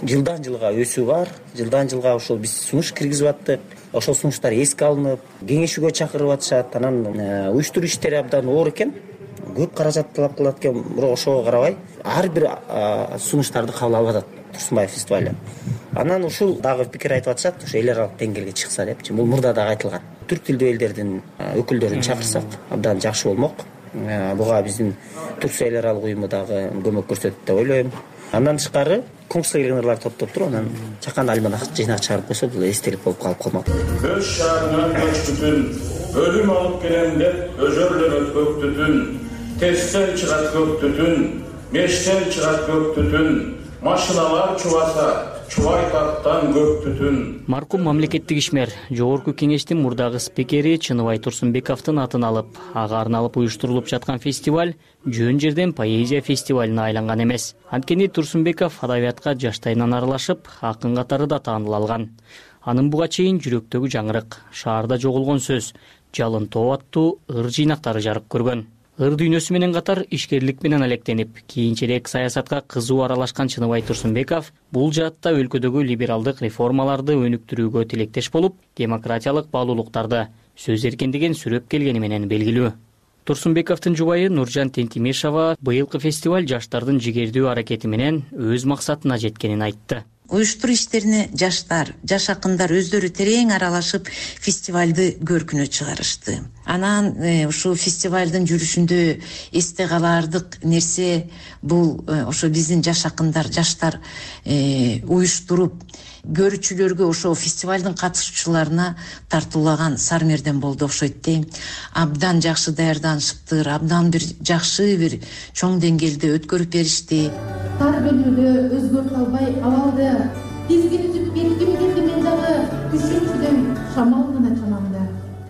Жылдан жылга өсүү бар. Жылдан жылга ошол биз сунуш киргизип аттык. Ошол сунуштар эске алынып, кеңешүүгө чакырып атышат. Анан уюштуруу иштери абдан оор экен. Көп каражат талап кылат экен, бирок ошого карабай ар бир сунуштарды кабыл алып атат Турсунбаев фестивалы. Анан ушул дагы пикир айтып атышат, ошо эл аралык деңгээлге чыкса депчи. Бул мурда дагы айтылган. Түрк тилдүү элдердин өкүлдөрүн чакырсак абдан жакшы болмок. Буга биздин Турсия эл аралык уюму дагы көмөк көрсөтөт деп ойлойм. Андан тышкары конкурска келген ырларды топтоп туруп, анан чакан альманак жыйнак чыгарып койсо, бул эстелик болуп калып калмак. Көз шаарынан көч бүтүн, өлүм алып келем деп өзөрлөнөт көк түтүн, терстен чыгат көк түтүн, мештен чыгат көк түтүн, машиналар чубаса, чубай тарттан көк түтүн. Маркум мамлекеттик ишмер Жогорку кеңештин мурдагы спикери Чыныбай Турсунбековдун атын алып, ага арналып уюштурулуп жаткан фестиваль жөн жерден поэзия фестивалына айланган эмес. Анткени Турсунбеков адабиятка жаштайынан аралашып, акын катары да тааныл алган. Анын буга чейин жүрөктөгү жаңырык, шаарда жоголгон сөз, жалын тоо аттуу ыр жыйнактары жарык көргөн. Ыр дүйнөсү менен катар ишкерлик менен алектенип, кийинчерээк саясатка кызуу аралашкан Чыныбай Турсунбеков бул жаатта өлкөдөгү либералдык реформаларды өнүктүрүүгө тилектеш болуп, демократиялык баалуулуктарды, сөз эркиндигин сүрөп келгени менен белгилүү. Турсунбековдун жубайы Нуржан Тентимешова быйылкы фестиваль жаштардын жигердүү аракети менен өз максатына жеткенин айтты. Уюштуруу иштерине жаштар, жаш акындар өздөрү терең аралашып фестивалды көркүнө чыгарышты. Анан ушул фестивалдын жүрүшүндө эсте калаардык нерсе бул ошо биздин жаш акындар, жаштар уюштуруп көрүүчүлөргө, ошо фестивалдын катышуучуларына тартуулаган Сармерден болду окшойт дейм. Абдан жакшы даярданышыптыр, абдан бир жакшы бир чоң деңгээлде өткөрүп беришти. Тар бөлүүдө өзгөртө албай абалды тизгинтип бекитип кетти, мен дагы күшүнчүдөм шамал гана чамамда.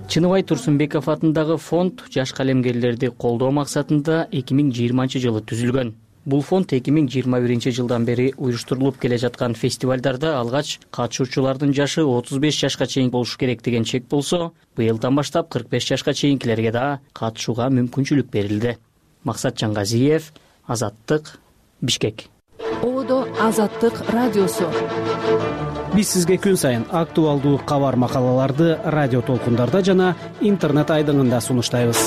Чыныбай Турсунбеков атындагы фонд жаш калемгерлерди колдоо максатында 2020 жылы түзүлгөн. Бул фонд 2021-жылдан бери уюштурулуп келе жаткан фестивалдарда алгач катышуучулардын жашы 35 жашка чейин болушу керек деген чек болсо, быйылдан баштап 45 жашка чейинкилерге да катышууга мүмкүнчүлүк берилди. Максат Жаңгазиев, Азаттык, Бишкек. Ободо Азаттык радиосу. Биз сизге күн сайын актуалдуу кабар макалаларды радио толкундарда жана интернет айдыңында сунуштайбыз.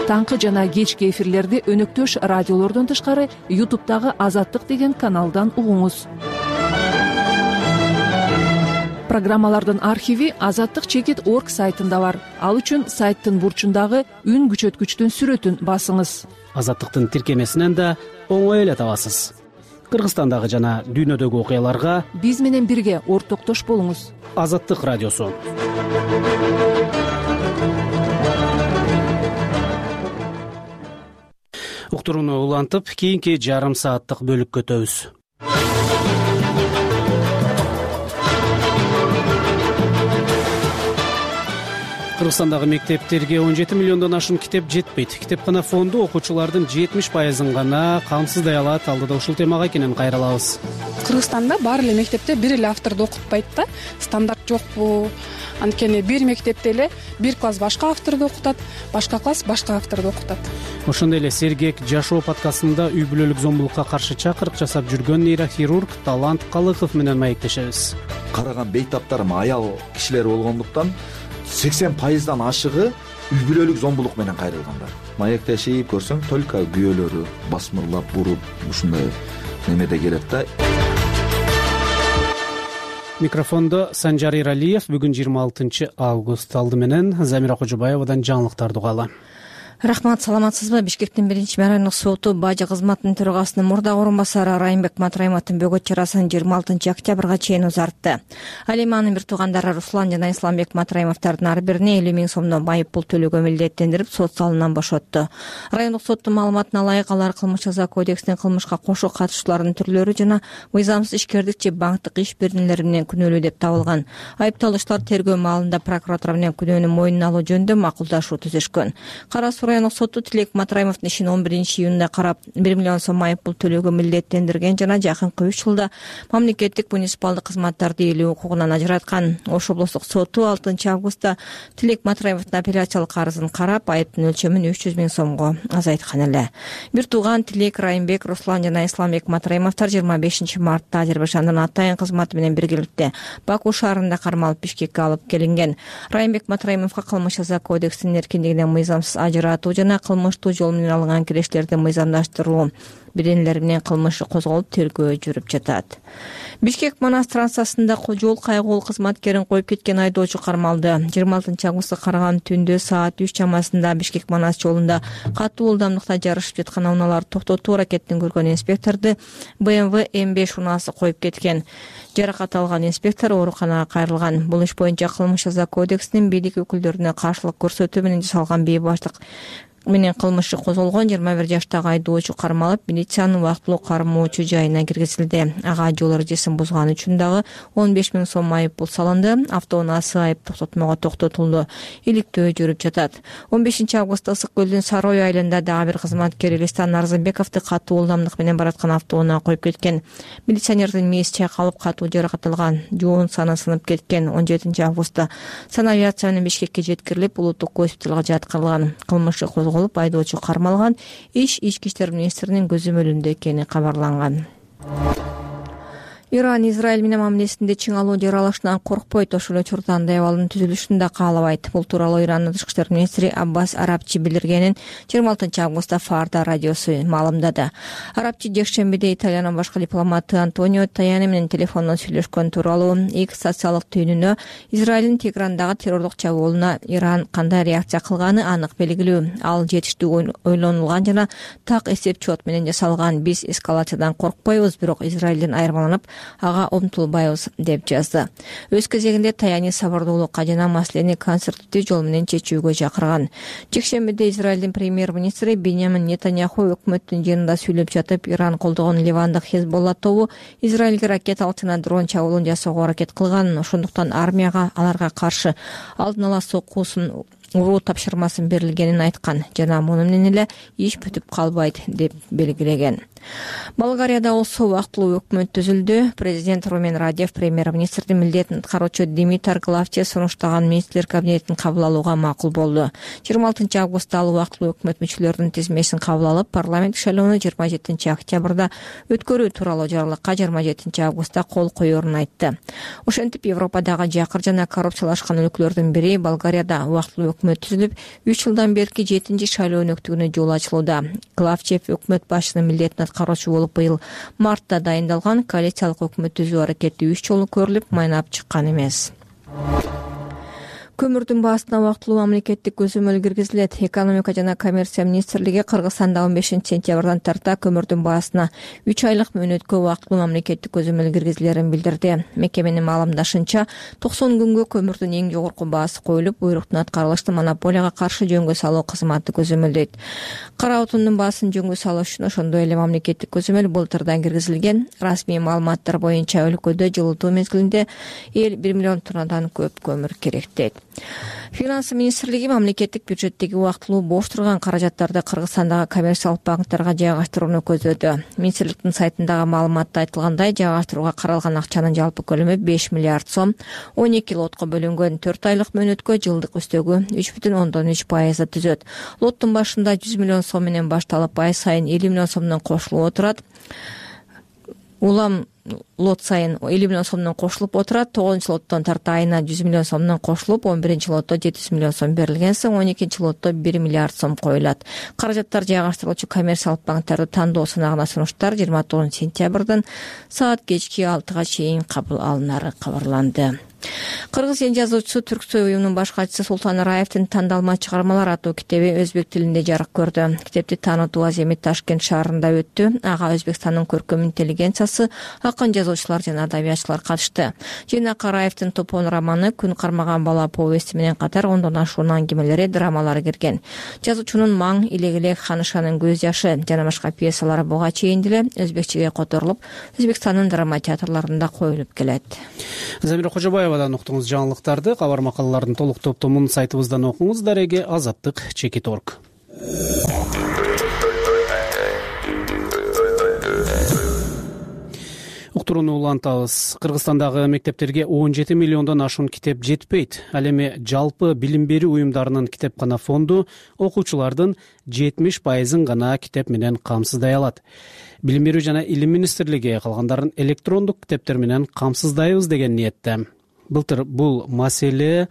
Таңкы жана кечки эфирлерди өнөктөш радиолордон тышкары YouTube'дагы Азаттык деген каналдан угуңуз. Программалардын архиви azattik.org сайтында бар. Ал үчүн сайттын бурчундагы үн күчөткүчтүн сүрөтүн басыңыз. Азаттыктын тиркемесинен да оңой эле табасыз. Кыргызстандагы жана дүйнөдөгү окуяларга биз менен бирге ортоктош болуңуз. Азаттык радиосу. Уктурууну улантып, кийинки жарым сааттык бөлүккө өтөбүз. Кыргызстандагы мектептерге 17 миллиондон ашуун китеп жетпейт. Китепкана фонду окуучулардын 70% гана камсыздай алат. Алдыда ушул темага кенен кайрылабыз. Кыргызстанда баары эле мектепте бир эле авторду окутпайт да. Стандарт жокпу? Анткени бир мектепте эле бир класс башка авторду окутат, башка класс башка авторду окутат. Ошондой эле Сергек жашоо подкастында үй бүлөлүк зомбулукка каршы чакырык жасап жүргөн нейрохирург Талант Калыков менен маектешебиз. Караган бейтаптарым аял кишилер болгондуктан 80%дан ашыгы үй бүлөлүк зомбулук менен кайрылгандар. Маектешип көрсөң, только күйөөлөрү басмырлап, буруп, ушундай немеде келет да. Микрофондо Санжар Иралиев. Бүгүн 26 август. Алды менен Замира Кожобаевадан жаңылыктарды угалы. Рахмат, саламатсызбы? Бишкектин 1-райондук соту бажы кызматынын төрагасынын мурдагы орун басары Райымбек Матраимовдун бөгөт чарасын 26 октябрга чейин узартты. Ал эми анын бир туугандары Руслан жана Исламбек Матраимовдордун ар бирине 50 000 сомдон майып пул төлөөгө милдеттендирип, сот залынан бошотту. Райондук соттун маалыматына ылайык алар кылмыш жаза кодексинин кылмышка кошо катышуулардын түрлөрү жана мыйзамсыз ишкердик же банктык иш беренелери менен күнөөлүү деп табылган. Айыпталуучулар тергөө маалында прокуратура менен күнөөнү мойнуна алуу жөнүндө макулдашуу түзүшкөн. Райондук соту Тилек Матраимовдун ишин 11-июнда карап 1 миллион сом майып пул төлөөгө милдеттендирген жана жакынкы 3 жылда мамлекеттик муниципалдык кызматтарды ээлөө укугунан ажыраткан. Ош облустук соту 6 августта Тилек Матраимовдун апелляциялык арызын карап, айыптын өлчөмүн 300 000 сомго азайткан эле. Бир тууган Тилек, Райымбек, Руслан жана Исламбек Матраимовдор 25 мартта Азербайжандын атайын кызматы менен биргеликте Баку шаарында кармалып Бишкекке алып келинген. Райымбек Матраимовго кылмыш жаза кодексинин эркиндигинен мыйзамсыз ажыратуу жана кылмыштуу жол менен алынган кирештерди мыйзамдаштыруу беренелери менен кылмышы козголуп, тергөө жүрүп жатат. Бишкек-Манас трассасында жол кайгылуу кызматкерин коюп кеткен айдоочу кармалды. 26 августта караган түндө саат 3 чамасында Бишкек-Манас жолунда катуу ылдамдыкта жарышып жаткан унааларды токтотуу аракетин көргөн инспекторду BMW M5 унаасы коюп кеткен. Жаракат алган инспектор ооруканага кайрылган. Бул иш боюнча кылмыш жаза кодексинин бийлик өкүлдөрүнө каршылык көрсөтүү менен жасалган бейбаштык менен кылмышы козголгон. 21 жаштагы айдоочу кармалып, милициянын убактылуу кармоочу жайына киргизилди. Ага жол эрежесин бузганы үчүн дагы 15 000 сом майып пул салынды. Автоунаасы айып токтотмого токтотулду. Иликтөө жүрүп жатат. 15 августта Ысык көлдүн Сары ой айылында дагы бир кызматкер Элистан Арзымбековду катуу ылдамдык менен бараткан автоунаа коюп кеткен. Милиционердин мээси чайкалып, катуу жаракат алган, жоон саны сынып кеткен. 17 августта санавиация менен Бишкекке жеткирилип, улуттук госпиталга жаткырылган. Кылмышы козголуп, айдоочу кармалган. Иш Ички иштер министринин көзөмөлүндө экени кабарланган. Иран Израиль менен мамилесинде чыңалуу жаралышынан коркпойт, ошол эле учурда андай абалдын түзүлүшүн да каалабайт. Бул тууралуу Ирандын тышкы иштер министри Аббас Арабчи билдиргенин 26 августта Фарда радиосу маалымдады. Арабчи жекшембиде Италиянын башкы дипломаты Антонио Таяни менен телефондон сүйлөшкөн тууралуу X социалдык түйүнүнө Израилдин Теграндагы террорлук чабуулуна Иран кандай реакция кылганы анык белгилүү. Ал жетиштүү ойлонулган жана так эсеп-чот менен жасалган. Биз эскалациядан коркпойбуз, бирок Израилден айырмаланып ага умтулбайбыз деп жазды. Өз кезегинде Таяни сабырдуулукка жана маселени конструктивдүү жол менен чечүүгө чакырган. Жекшембиде Израилдин премьер-министри Беньямин Нетаньяху өкмөттүн жыйынында сүйлөп жатып, Иран колдогон Ливандык Хезболла тобу Израилге ракеталык жана дрон чабуулун жасоого аракет кылган. Ошондуктан армияга аларга каршы алдын ала соккусун уруу тапшырмасын берилгенин айткан жана муну менен эле иш бүтүп калбайт деп белгилеген. Болгарияда болсо убактылуу өкмөт түзүлдү. Президент Румен Радев премьер-министрдин милдетин аткаруучу Димитар Главче сунуштаган министрлер кабинетин кабыл алууга макул болду. 26 августта ал убактылуу өкмөт мүчөлөрүнүн тизмесин кабыл алып, парламент шайлоону 27 октябрда өткөрүү тууралуу жарлыкка 27 августта кол коерун айтты. Ошентип Европадагы жакыр жана коррупциялашкан өлкөлөрдүн бири Болгарияда убактылуу өкмөт түзүлүп, 3 жылдан берки 7 шайлоо өнөктүгүнө жол ачылууда. Главчев өкмөт башчынын милдетин аткаруучу болуп быйыл мартта дайындалган коалициялык өкмөт түзүү аракети 3 жолу көрүлүп, майнап чыккан эмес. Көмүрдүн баасына убактылуу мамлекеттик көзөмөл киргизилет. Экономика жана коммерция министрлиги Кыргызстанда 15 сентябрдан тарта көмүрдүн баасына 3 айлык мөөнөткө убактылуу мамлекеттик көзөмөл киргизилерин билдирди. Мекеменин маалымдашынча, 90 күнгө көмүрдүн эң жогорку баасы коюлуп, буйруктун аткарылыштын монополияга каршы жөнгө салуу кызматы көзөмөлдөйт. Кара отундун баасын жөнгө салуу үчүн ошондой эле мамлекеттик көзөмөл былтырдан киргизилген. Расмий маалыматтар боюнча өлкөдө жылытуу мезгилинде 1 миллион тоннадан көп көмүр керек дейт. Финанс министрлиги мамлекеттик бюджеттеги убактылуу бош турган каражаттарды Кыргызстандагы коммерциялык банктерге жайгаштырууну көздөдү. Министрликтин сайтындагы маалыматта айтылгандай, жайгаштырууга каралган акчанын жалпы көлөмү 5 миллиард сом, 12 лотко бөлүнгөн 4 айлык мөөнөткө жылдык үстөгү 3,3% түзөт. Лоттун башында 100 миллион сом менен башталып, ай сайын 50 миллион сомдон кошулуп отурат. Улам лот сайын 50 миллион сомдон кошулуп отурат. 9 лоттон тарта айына 100 миллион сомдон кошулуп, 11 лотто 700 миллион сом берилген соң, 12 лотто 1 миллиард сом коюлат. Каражаттар жайгаштырылуучу коммерциялык банктерди тандоо сынагына сунуштар 29 сентябрдан саат кечки 6-га чейин кабыл алынары кабарланды. Кыргыз эл жазуучусу Түрксой уюмунун баш катчысы Султан Раевдин «Тандалма чыгармалар» аттуу китеби өзбек тилинде жарык көрдү. Китепти таанытуу аземи Ташкент шаарында өттү. Ага Өзбекстандын көркөм интеллигенциясы, акын жазуучулар жана адабиятчылар катышты. Жыйнакка Раевдин Топон романы, Күн кармаган бала повести менен катар 10дон ашуун аңгемелери, драмалары кирген. Жазуучунун Маң, Илек-элек, Ханышанын көз жашы жана башка пьесалары буга чейин деле өзбекчеге которулуп, Өзбекстандын драма театрларында коюлуп келет. Замира Кожобаевадан уктуңуз жаңылыктарды. Кабар макалалардын толук топтомун сайтыбыздан окуңуз. Дареге Азаттык Чекит.орг. Уктурууну улантабыз. Кыргызстандагы мектептерге 17 миллиондон ашуун китеп жетпейт. Ал эми жалпы билим берүү уюмдарынын китепкана фонду окуучулардын 70% гана китеп менен камсыздай алат. Билим берүү жана илим министрлиги калгандарын электрондук китептер менен камсыздайбыз деген ниетте. Былтыр бул маселе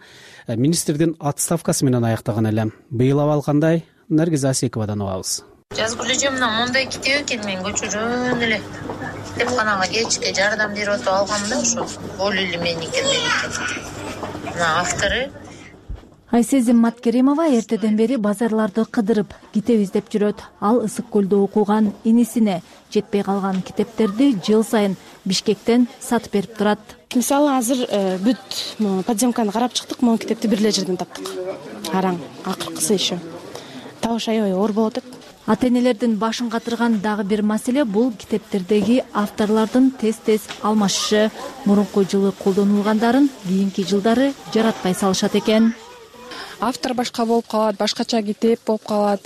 министрдин отставкасы менен аяктаган эле. Быйыл абал кандай? Наргиз Асековадан угабыз. Жазгыл эжемден мондай китеп экен, мен көчөрөн эле китепканага кечке жардам берип отуруп алгам да, ошо Болу эле меники. Мына автору Айсезим Маткеримова эртеден бери базарларды кыдырып, китеп издеп жүрөт. Ал Ысык көлдө окуган инисине жетпей калган китептерди жыл сайын Бишкектен сатып берип турат. Мисалы азыр бүт подземканы карап чыктык, могу китепти бир эле жерден таптык. Араң, акыркысы еще. Табыш аябай оор болот. Ата-энелердин башын катырган дагы бир маселе бул китептердеги авторлордун тез-тез алмашышы. Мурунку жылы колдонулгандарын кийинки жылдары жаратпай салышат экен. Автор башка болуп калат, башкача китеп болуп калат.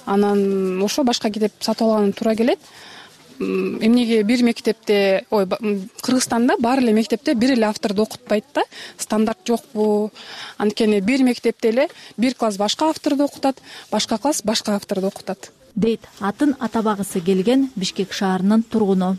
Анан ошо башка китеп сатып алган туура келет. Эмнеге бир мектепте, Кыргызстанда баары эле мектепте бир эле авторду окутпайт да, стандарт жокпу. Анткени бир мектепте эле бир класс башка авторду окутат, башка класс башка авторду окутат. Дейт атын атабагысы келген Бишкек шаарынын тургуну.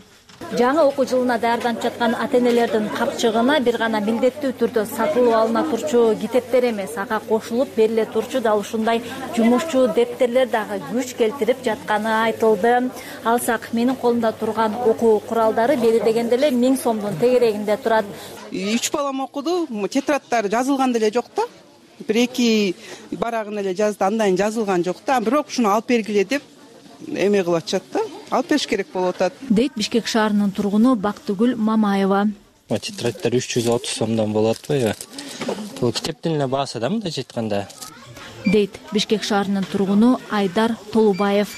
Жаңы окуу жылына даярданып жаткан ата-энелердин капчыгына бир гана милдеттүү түрдө сатылып алына турчу китептер эмес, ага кошулуп бериле турчу дал ушундай жумушчу дептерлер дагы күч келтирип жатканы айтылды. Алсак, менин колумда турган окуу куралдары бери дегенде эле 1000 сомдун тегерегинде турат. 3 балам окуду, тетрадтары жазылган деле жок да. Бир-эки барагын эле жазды, андайын жазылган жок да. Бирок ушуну алып бергиле деп эме кылып атышат да. Алып бериш керек болуп атат. Дейт Бишкек шаарынын тургуну Бактыгүл Мамаева. Тетрадьтар 360 сомдон болот атпайбы? Бул китептин эле баасы да мындай айтканда. Дейт Бишкек шаарынын тургуну Айдар Толубаев.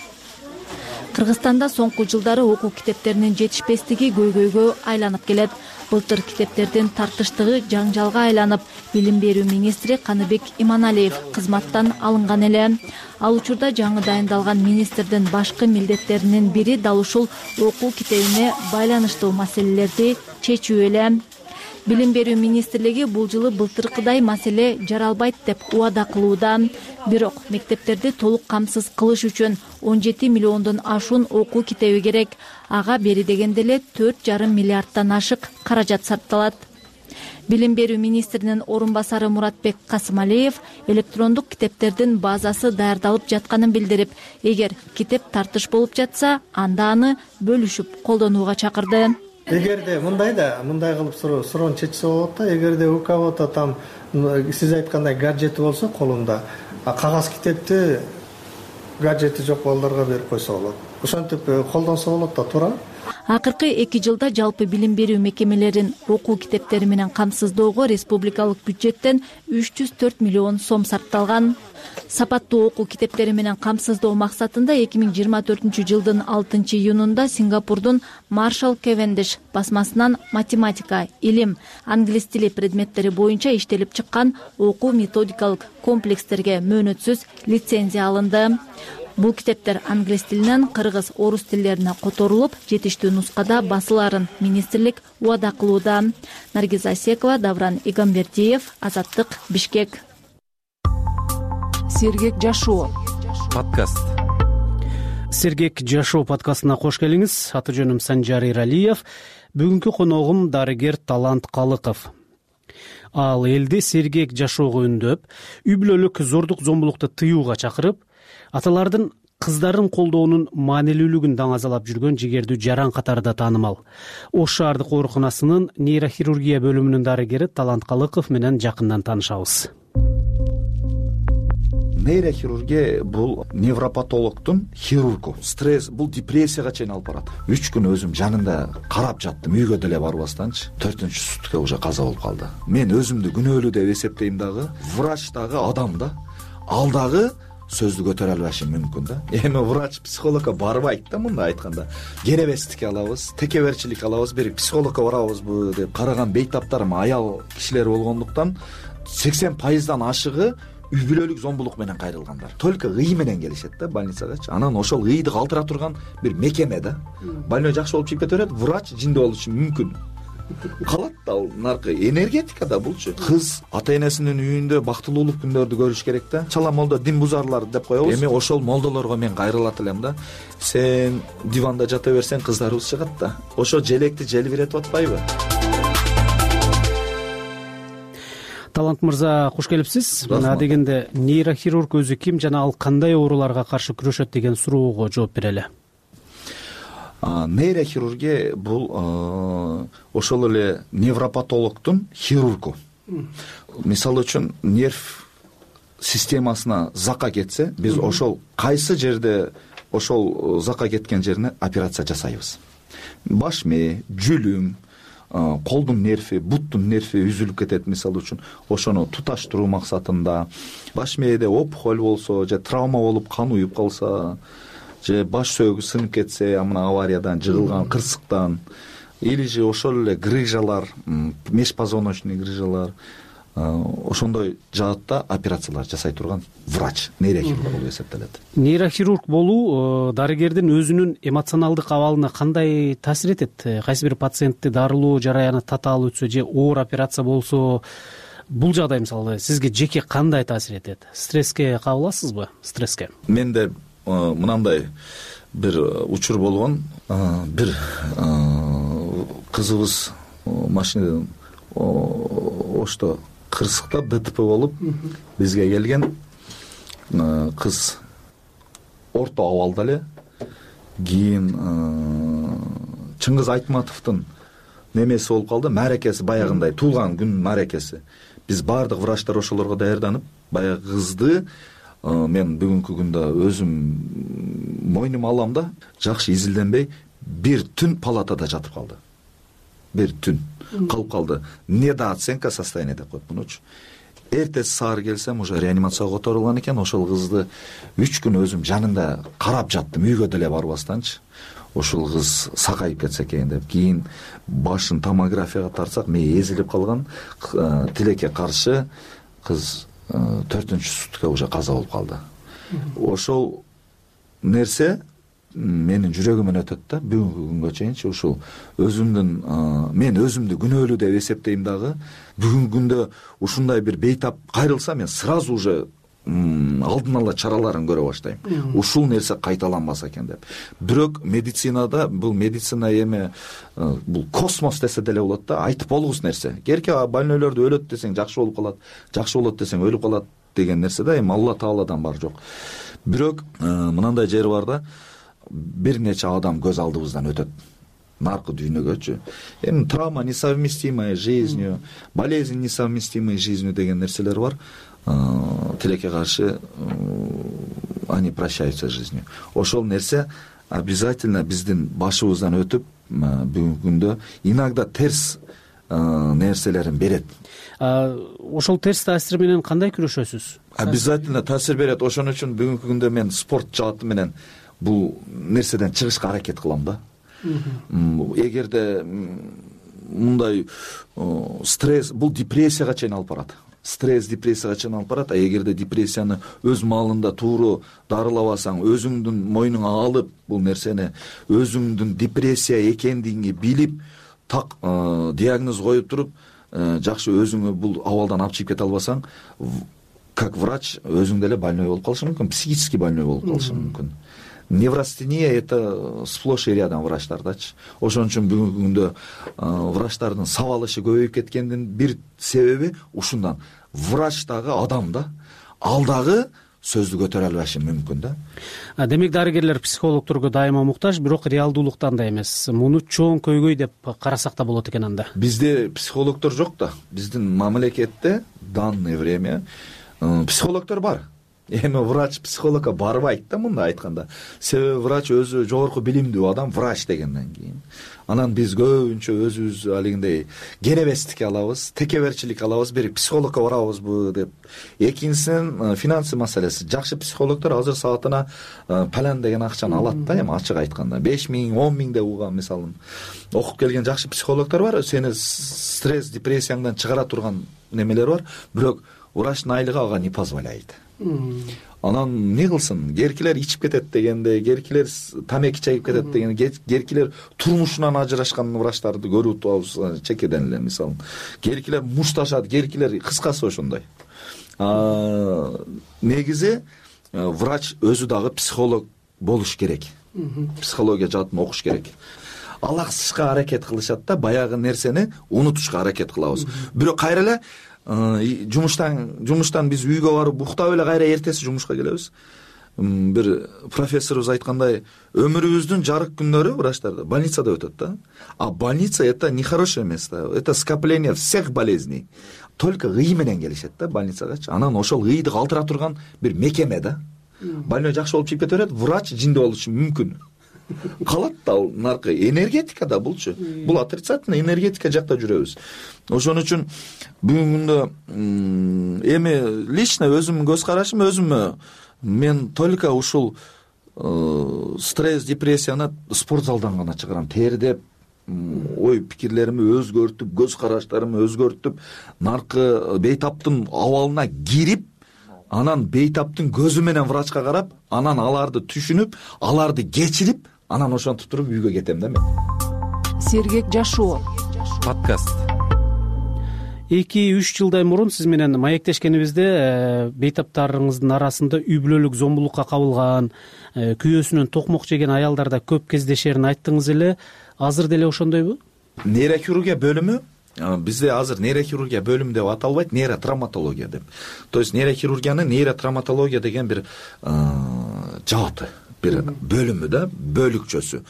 Кыргызстанда соңку жылдары окуу китептеринин жетишпестиги көйгөйгө айланып келет. Былтыр китептердин тартыштыгы жаңжалга айланып, билим берүү министри Каныбек Иманалиев кызматтан алынган эле. Ал учурда жаңы дайындалган министрдин башкы милдеттеринин бири дал ушул окуу китебине байланыштуу маселелерди чечүү эле. Билим берүү министрлиги бул жылы былтыркыдай маселе жаралбайт деп убада кылууда. Бирок мектептерди толук камсыз кылыш үчүн 17 миллиондон ашуун окуу китеби керек. Ага бери дегенде эле 4,5 миллиардтан ашык каражат сарпталат. Билим берүү министринин орун басары Муратбек Касымалиев электрондук китептердин базасы даярдалып жатканын билдирип, эгер китеп тартыш болуп жатса, анда аны бөлүшүп колдонууга чакырды. Эгерде мындай кылып суроону чечсе болот да. Эгерде у кого-то там сиз айткандай гаджети болсо колунда, кагаз китепти гаджети жок балдарга берип койсо болот. Ошентип колдонсо болот да, туура. Акыркы 2 жылда жалпы билим берүү мекемелерин окуу китептери менен камсыздоого республикалык бюджеттен 304 миллион сом сарпталган. Сапаттуу окуу китептери менен камсыздоо максатында 2024 жылдын 6 июнунда Сингапурдун Маршал Кевендиш басмасынан математика, илим, англис тили предметтери боюнча иштелип чыккан окуу методикалык комплекстерге мөөнөтсүз лицензия алынды. Бул китептер англис тилинен кыргыз, орус тилдерине которулуп, жетиштүү нускада басыларын министрлик убада кылууда. Наргиза Асекова, Давран Игамбердиев, Азаттык, Бишкек. Сергек жашоо подкаст. Сергек жашоо подкастына кош келиңиз. Аты жөнүм Санжар Иралиев. Бүгүнкү коногум дарыгер Талант Калыков. Ал элди сергек жашоого үндөп, үй бүлөлүк зордук зомбулукту тыюуга чакырып, аталардын кыздарын колдоонун маанилүүлүгүн даңазалап жүргөн жигердүү жаран катарында таанымал. Ош шаардык ооруканасынын нейрохирургия бөлүмүнүн дарыгери Талант Калыков менен жакындан таанышабыз. Нейрохирургия бул невропатологдун хирургу. Стресс бул депрессияга чейин алып барат. 3 күн өзүм жанында карап жаттым, үйгө деле барбастанчы. 4-сутка уже каза болуп калды. Мен өзүмдү күнөөлүү деп эсептейм дагы, врач дагы адам да. Ал дагы сөздү көтөрө албашы мүмкүн да. Эми врач психологко барбайт да, мындай айтканда. Керебестик алабыз, текеберчилик алабыз, бир психологко барабызбы деп караган бейтаптарым аял кишилер болгондуктан 80%дан ашыгы үй бүлөлүк зомбулук менен кайрылгандар. Только ый менен келишет да больницагачы. Анан ошол ыйды калтыра турган бир мекеме да. Больной жакшы болуп чыгып кете берет, врач жинде болушу мүмкүн. Калат да ал наркы энергетика да булчу. Кыз ата энесинин үйүндө бактылуулук күндөрдү көрүш керек да. Чала молдо дин бузарлар деп коебуз. Эми ошол молдолорго мен кайрылат элем да. Сен диванда жата берсең кыздарыбыз чыгат да. Ошо желекти желбиретип атпайбы? Талант мырза, кош келипсиз. Мына дегенде нейрохирург өзү ким жана ал кандай ооруларга каршы күрөшөт деген суроого жооп берели. Нейрохирургия бул ошол эле невропатологдун хирургу. Мисалы үчүн нерв системасына зака кетсе, биз ошол кайсы жерде ошол зака кеткен жерине операция жасайбыз. Баш мээ, жүлүм, колдун нерви, буттун нерви үзүлүп кетет мисалы үчүн. Ошону туташтыруу максатында баш мээде опухоль болсо же травма болуп кан уюп калса, же баш сөөгү сынып кетсе, мына авариядан жыгылган кырсыктан, или же ошол эле грыжалар, межпозвоночный грыжалар, ошондой жаатта операциялар жасай турган врач, нейрохирург болуп эсептелет. Нейрохирург болуу дарыгердин өзүнүн эмоционалдык абалына кандай таасир этет? Кайсы бир пациентти дарылоо жараяны татаал өтсө же оор операция болсо, бул жагдай мисалы сизге жеке кандай таасир этет? Стресске кабыласызбы? Стресске? Менде мынандай бир учур болгон. Бир кызыбыз машинадан Ошто кырсыкта ДТП болуп бизге келген. Кыз орто абалда эле. Кийин Чыңгыз Айтматовдун немеси болуп калды, мааракеси баягындай туулган күн мааракеси. Биз баардык врачтар ошолорго даярданып, баягы кызды мен бүгүнкү күндө өзүм мойнума алам да, жакшы изилденбей бир түн палатада жатып калды. Бир түн калып калды. Недооценка состояния деп коет мунучу. эртеси саар келсем уже реанимацияга которулган экен. Ошол кызды 3 күн өзүм жанында карап жаттым, үйгө деле барбастанчы. Ошол кыз сакайып кетсе экен деп. Кийин башын томографияга тартсак, мээ эзилип калган. Тилекке каршы кыз 4-сутка уже каза болуп калды. Ошол нерсе менин жүрөгүмөн өтөт да. Бүгүнкү күнгө чейинчи ушул өзүмдүн мен өзүмдү күнөөлүү деп эсептейм дагы. Бүгүнкү күндө ушундай бир бейтап кайрылса, мен сразу уже алдын ала чараларын көрө баштайм. Ушул нерсе кайталанбаса экен деп. Бирок медицинада бул медицина эми бул космос десе деле болот да, айтып болгус нерсе. Керке больнойлорду өлөт десең жакшы болуп калат, жакшы болот десең өлүп калат деген нерсе да, эми Алла Тааладан бар жок. Бирок мынандай жери бар да, бир нече адам көз алдыбыздан өтөт наркы дүйнөгөчү. Эми травма несовместимая с жизнью, болезнь несовместимая с жизнью деген нерселер бар. Тилекке каршы они прощаются с жизнью. Ошол нерсе обязательно биздин башыбыздан өтүп, бүгүнкү күндө иногда терс нерселерин берет. Ошол терс таасир менен кандай күрөшөсүз? Обязательно таасир берет. Ошон үчүн бүгүнкү күндө мен спорт жааты менен бул нерседен чыгышка аракет кылам да. Эгерде мындай стресс, бул депрессияга чейин алып барат. Стресс депрессияга чейин алып барат. Эгерде депрессияны өз маалында тууру дарылабасаң, өзүңдүн мойнуңа алып, бул нерсени өзүңдүн депрессия экендигиңи билип, так диагноз коюп туруп, жакшы өзүңө бул абалдан алып чыгып кете албасаң, как врач өзүң деле больной болуп калышың мүмкүн, психически больной болуп калышың мүмкүн. Неврастения — это сплошь и рядом врачтардачы. Ошон үчүн бүгүнкү күндө врачтардын сабалышы көбөйүп кеткендин бир себеби ушундан. Врач дагы адам да, ал дагы сөздү көтөрө албашы мүмкүн да. Демек дарыгерлер психологдорго дайыма муктаж, бирок реалдуулуктан да эмес. Муну чоң көйгөй деп карасак да болот экен анда. Бизде психологдор жок да. Биздин мамлекетте данное время психологдор бар. Эми врач психологко барбайт да, мындай айтканда. Себеби врач өзү жогорку билимдүү адам, врач дегенден кийин. Анан биз көбүнчө өзүбүз алигиндей кенебестикке алабыз, текеберчилик алабыз, бир психологко барабызбы деп. Экинчисинен финансы маселеси. Жакшы психологдор азыр саатына палан деген акчаны алат да, эми ачык айтканда. 5000, 10.000 деп угам мисалы. Окуп келген жакшы психологдор бар, сени стресс, депрессияңдан чыгара турган немелер бар, бирок врачтын айлыгы ага не позволяет. Анан не кылсын, керкилер ичип кетет дегенде, керкилер тамеки чегип кетет дегенде, керкилер турмушунан ажырашкан врачтарды көрүп атабыз чекеден эле мисалы. Керкилер мушташат, керкилер кыскасы ошондой. Негизи врач өзү дагы психолог болуш керек. Психология жаатын окуш керек. Алаксышка аракет кылышат да, баягы нерсени унутушка аракет кылабыз. Бирок кайра эле жумуштан биз үйгө барып уктап эле кайра эртеси жумушка келебиз. Бир профессорубуз айткандай, өмүрүбүздүн жарык күндөрү врачтарда больницада өтөт да. А больница — это нехорошее место, это скопление всех болезней. Только ый менен келишет да больницагачы. Анан ошол ыйды калтыра турган бир мекеме да. Больной жакшы болуп чыгып кете берет, врач жиндүү болушу мүмкүн. Калат да ал наркы энергетика да булчу. Бул отрицательный энергетика жакта жүрөбүз. Ошон үчүн бүгүнгүндө эми лично өзүмдүн көз карашым, өзүмө мен только ушул стресс, депрессияны спорт залдан гана чыгарам. Тердеп, ой пикирлерими өзгөртүп, көз караштарымы өзгөртүп, наркы бейтаптын абалына кирип, анан бейтаптын көзү менен врачка карап, анан аларды түшүнүп, аларды кечирип, анан ошентип туруп үйгө кетем да мен. Сергек жашоо подкаст. 2-3 жылдай мурун сиз менен маектешкенибизде бейтаптарыңыздын арасында үй бүлөлүк зомбулукка кабылган, күйөөсүнөн токмок жеген аялдарда көп кездешерин айттыңыз эле. Азыр деле ошондойбу? Нейрохирургия бөлүмү бизде азыр нейрохирургия бөлүмү деп аталбайт, нейротравматология деп. То есть нейрохирургиянын нейротравматология деген бир жааты, бир бөлүмү да, бөлүкчөсү.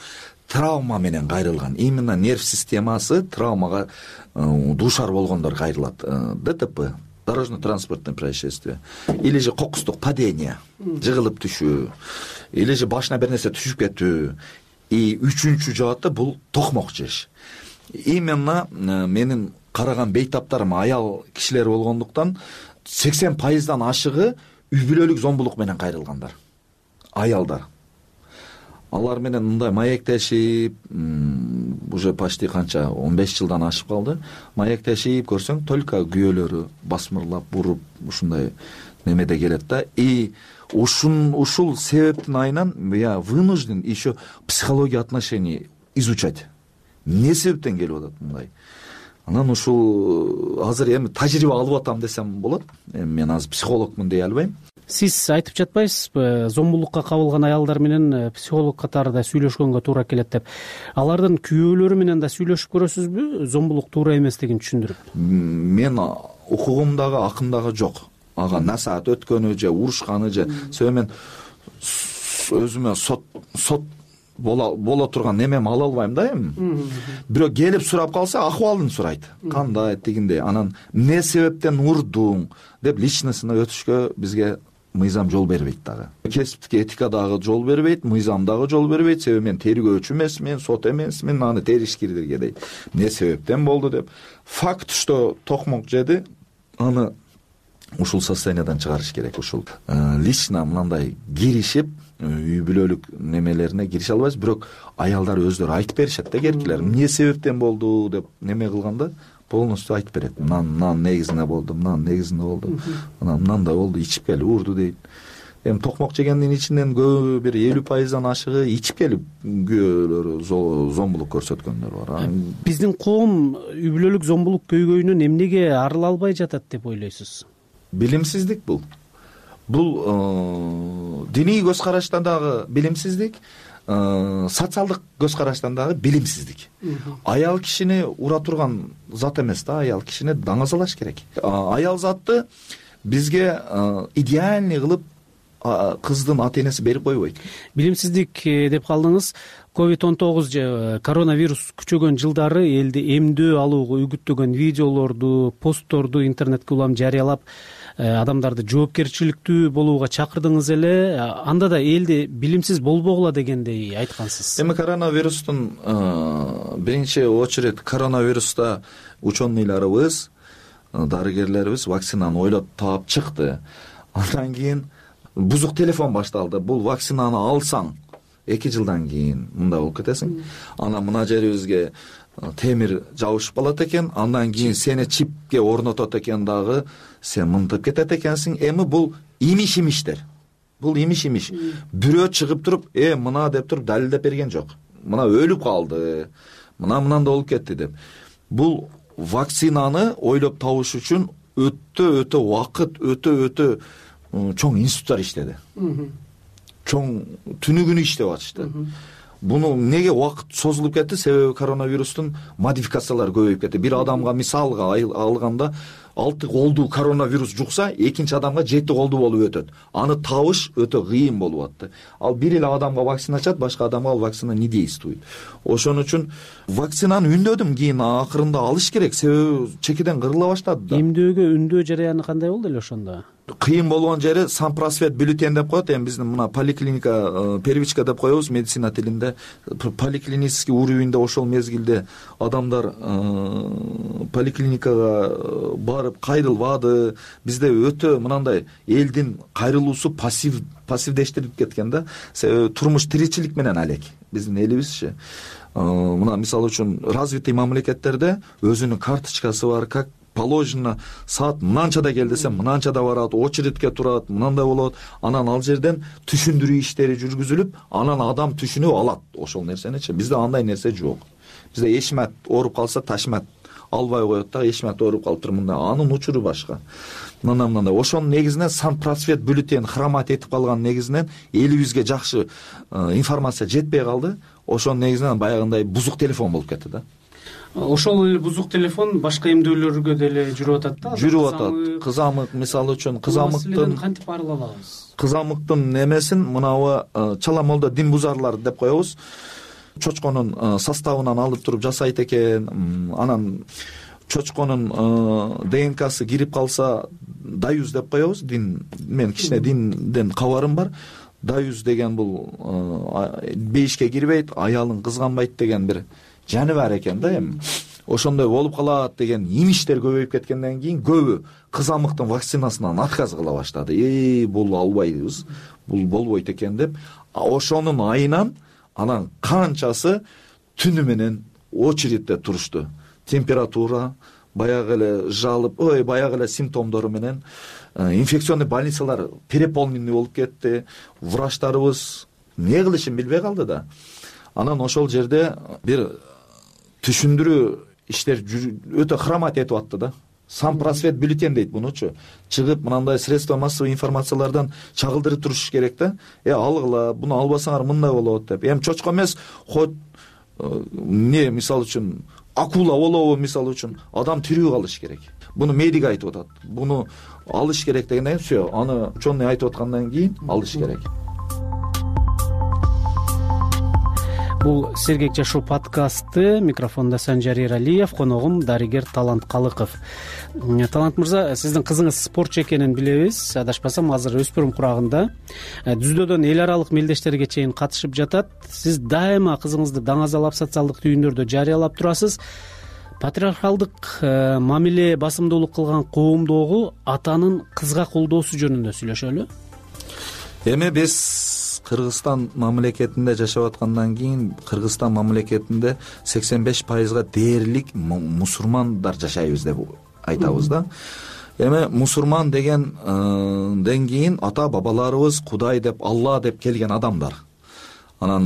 Травма менен кайрылган, именно нерв системасы травмага дуушар болгондор кайрылат. ДТП, дорожно-транспортное происшествие, или же кокустук падение, жыгылып түшүү, или же башына бир нерсе түшүп кетүү. И үчүнчү жааты бул токмок жеш. Именно менин караган бейтаптарым аял кишилер болгондуктан 80% ашыгы үй бүлөлүк зомбулук менен кайрылгандар, аялдар. Алар менен мындай маектешип, уже почти канча 15 жылдан ашып калды. Маектешип көрсөң, только күйөөлөрү басмырлап, буруп, ушундай немеде келет да. И ушул себептин айынан я вынужден еще психология отношений изучать. Эмне себептен келип атат мындай? Анан ушул азыр эми тажрыйба алып атам десем болот. Эми мен азыр психологмун дей албайм. Сиз айтып жатпайсызбы, зомбулукка кабылган аялдар менен психолог катарында сүйлөшкөнгө туура келет деп. Алардын күйөөлөрү менен да сүйлөшүп көрөсүзбү, зомбулук туура эместигин түшүндүрүп? Мен укугумдагы акымдагы жок. Ага насаат өткөнү же урушканы же себеби мен өзүмө сот боло турган немем ала албайм да эми. Бирок келип сурап калса, акыбалын сурайт. Кандай тигиндей, анан эмне себептен урдуң деп личностуна өтүшкө бизге мыйзам жол бербейт дагы. Кесиптик этика дагы жол бербейт, мыйзам дагы жол бербейт. Себеби мен тергөөчү эмесмин, сот эмесмин, аны теришкирдирге дейт. Эмне себептен болду деп. Факт, что токмок жеди, аны ушул состояниядан чыгарыш керек. Ушул лично мындай киришип, үй бүлөлүк немелерине кирише албайбыз, бирок аялдар өздөрү айтып беришет да, керкилер. Эмне себептен болду деп неме кылганда полностью айтып берет. Мынан негизинде болду, мынан негизинде болду. Мынандай болду, ичип келип урду дейт. Эми токмок жегендин ичинен көбү бир 50%дан ашыгы ичип келип күйөөлөрү зомбулук көрсөткөндөр бар. Биздин коом үй бүлөлүк зомбулук көйгөйүнөн эмнеге арыла албай жатат деп ойлойсуз? Билимсиздик бул. Бул диний көз караштан дагы билимсиздик, социалдык көз караштан дагы билимсиздик. Аял кишини ура турган зат эмес да, аял кишини даңазалаш керек. Аял затты бизге идеальный кылып кыздын ата энеси берип койбойт. Билимсиздик деп калдыңыз. COVID-19 же коронавирус күчөгөн жылдары элди эмдөө алууга үгүттөгөн видеолорду, постторду интернетке улам жарыялап, адамдарды жоопкерчиликтүү болууга чакырдыңыз эле. Анда да элди билимсиз болбогула дегендей айткансыз. Эми коронавирустун биринчи очередь коронавируста ученыйларыбыз, дарыгерлерибиз вакцинаны ойлоп таап чыкты. Андан кийин бузук телефон башталды. Бул вакцинаны алсаң 2 жылдан кийин мындай болуп кетесиң. Анан мына жерибизге темир жабышып калат экен, андан кийин сени чипке орнотот экен дагы, сен мынтып кетет экенсиң. Эми бул имиш-имиштер. Бул имиш-имиш. Бирөө чыгып туруп, мына деп туруп далилдеп берген жок. Мына өлүп калды, мынандай болуп кетти деп. Бул вакцинаны ойлоп табыш үчүн өтө убакыт, өтө чоң институттар иштеди. Чоң түнү күнү иштеп атышты. Буну эмнеге убакыт созулуп кетти? Себеби коронавирустун модификациялары көбөйүп кетти. Бир адамга мисалга алганда 6 колду коронавирус жукса, экинчи адамга 7 колду болуп өтөт. Аны табыш өтө кыйын болуп атты. Ал бир эле адамга вакцина ачат, башка адамга ал вакцина не действует. Ошон үчүн вакцинаны үндөдүм, кийин акырында алыш керек, себеби чекеден кырыла баштады да. Эмдөөгө үндөө жараяны кандай болду эле ошондо? Кыйын болгон жери санпросвет бюллетень деп коет. Эми биздин мына поликлиника, первичка деп коебуз медицина тилинде. Поликлинический уровеньде ошол мезгилде адамдар поликлиникага барып кайрылбады. Бизде өтө мынандай элдин кайрылуусу пассивдештирип кеткен да. Себеби турмуш тиричилик менен алек биздин элибизчи. Мына мисалы үчүн развитый мамлекеттерде өзүнүн карточкасы бар, как положено, саат мынанчада кел десем мынанчада барат, очередке турат, мынандай болот. Анан ал жерден түшүндүрүү иштери жүргүзүлүп, анан адам түшүнүп алат ошол нерсеничи. Бизде андай нерсе жок. Бизде эшмат ооруп калса ташмат албай коет да, эшмат ооруп калыптыр мындай. Анын учуру башка. Мындай. Ошонун негизинен санпросвет бюллетень хромат этип калган негизинен элибизге жакшы информация жетпей калды. Ошонун негизинен баягындай бузук телефон болуп кетти да. Ошол эле бузук телефон башка эмдөөлөргө деле жүрүп атат да. Жүрүп атат. Кызамык мисалы үчүн кызамыктын кантип арыла алабыз? Кызамыктын немесин мынабы чала молдо дин бузарлар деп коебуз. Чочконун составынан алып туруп жасайт экен. Анан чочконун ДНКсы кирип калса, даюз деп коебуз. Мен кичине динден кабарым бар. Даюз деген бул бейишке кирбейт, аялын кызганбайт деген бир жаны бар экен да эми. ошондой болуп калат деген имиштер көбөйүп кеткенден кийин көбү кызамыктын вакцинасынан отказ кыла баштады. Бул албайбыз, бул болбойт экен деп. Ошонун айынан анан канчасы түнү менен очередде турушту. Температура, баягы эле жалып, баягы эле симптомдору менен инфекционный больницалар переполненный болуп кетти. Врачтарыбыз эмне кылышын билбей калды да. Анан ошол жерде бир түшүндүрүү иштер өтө хромать этип атты да. Сам просвет бюллетень дейт мунучу. Чыгып мынандай средства массовой информациялардан чагылдырып туруш керек да. Алгыла, буну албасаңар мындай болот деп. Эми чочко эмес, хоть мисалы үчүн акула болобу мисалы үчүн адам тирүү калыш керек. Буну медик айтып атат. Буну алыш керек дегенден кийин аны ученый айтып аткандан кийин алыш керек. Бул Сергек жашоо подкасты. Микрофондо Санжар Эралиев, коногум дарыгер Талант Калыков. Талант мырза, сиздин кызыңыз спортчу экенин билебиз. Адашпасам, азыр өспүрүм курагында. Дүздөөдөн эл аралык мелдештерге чейин катышып жатат. Сиз дайыма кызыңызды даңазалап социалдык түйүндөрдө жарыялап турасыз. Патриархалдык мамиле басымдуулук кылган коомдогу атанын кызга колдоосу жөнүндө сүйлөшөлү. Эми биз Кыргызстан мамлекетинде жашап аткандан кийин Кыргызстан мамлекетинде 85%га дээрлик мусулмандар жашайбыз деп айтабыз да. Эми мусулман дегенден кийин ата бабаларыбыз Кудай деп, Алла деп келген адамдар. Анан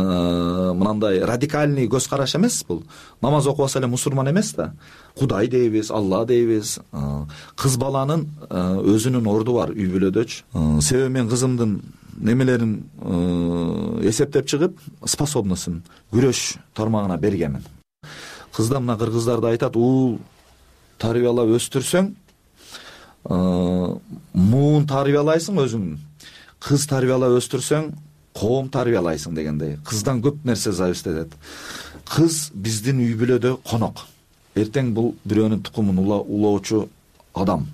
мынандай радикальный көз караш эмес бул. Намаз окубаса эле мусулман эмес да. Кудай дейбиз, Алла дейбиз. Кыз баланын өзүнүн орду бар үй бүлөдөчү. Себеби мен кызымдын немелерин эсептеп чыгып, способностун күрөш тармагына бергенмин. Кызда мына кыргыздарды айтат, уул тарбиялап өстүрсөң, муун тарбиялайсың өзүң. Кыз тарбиялап өстүрсөң, коом тарбиялайсың дегендей. Кыздан көп нерсе зависит этет. Кыз биздин үй бүлөдө конок. Эртең бул бирөөнүн тукумун улоочу адам.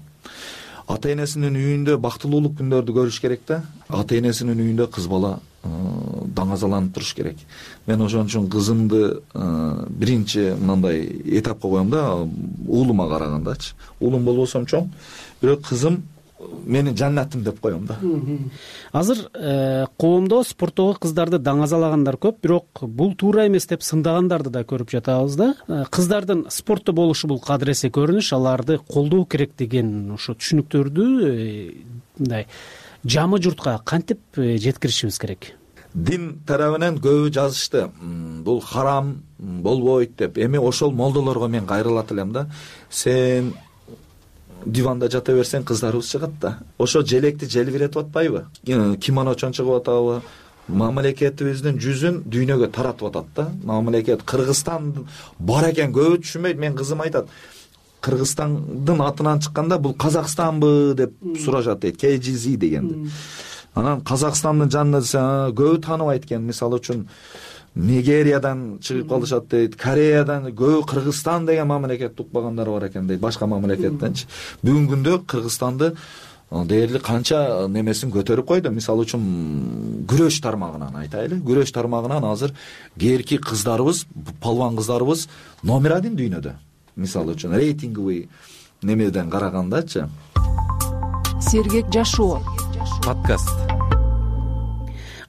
Ата энесинин үйүндө бактылуулук күндөрдү көрүш керек да. Ата энесинин үйүндө кыз бала даңазаланып туруш керек. Мен ошон үчүн кызымды биринчи мындай этапка коем да, уулума карагандачы. Уулум болбосом чоң, бирок кызым менин жаннатым деп коем да. Азыр коомдо спорттогу кыздарды даңазалагандар көп, бирок бул туура эмес деп сындагандарды да көрүп жатабыз да. Кыздардын спортто болушу бул кадыресе көрүнүш, аларды колдоо керек деген ошо түшүнүктөрдү мындай жамы журтка кантип жеткиришибиз керек? Дин тарабынан көбү жазышты. Бул харам болбойт деп. Эми ошол молдолорго мен кайрылат элем да. Сен диванда жата берсең кыздарыбыз чыгат да. Ошо желекти желбиретип атпайбы? Кимоночон чыгып атабы? Мамлекетибиздин жүзүн дүйнөгө таратып атат да. Мамлекет Кыргызстан бар экен көбү түшүнбөйт. Мен кызым айтат, Кыргызстандын атынан чыкканда бул Казакстанбы деп сурашат дейт. KGZ дегенди. Анан Казакстандын жанында көбү тааныбайт экен. Мисалы үчүн Нигериядан чыгып калышат дейт, Кореядан, көбү Кыргызстан деген мамлекет укпагандар бар экен дейт, башка мамлекеттенчи. Бүгүнкү күндө Кыргызстанды дээрлик канча немесин көтөрүп койду. Мисалы үчүн күрөш тармагынан айтайлы. Күрөш тармагынан азыр кээрки кыздарыбыз, палван кыздарыбыз номер 1 дүйнөдө. Мисалы үчүн рейтинговый немеден карагандачы. Сергек жашоо подкаст.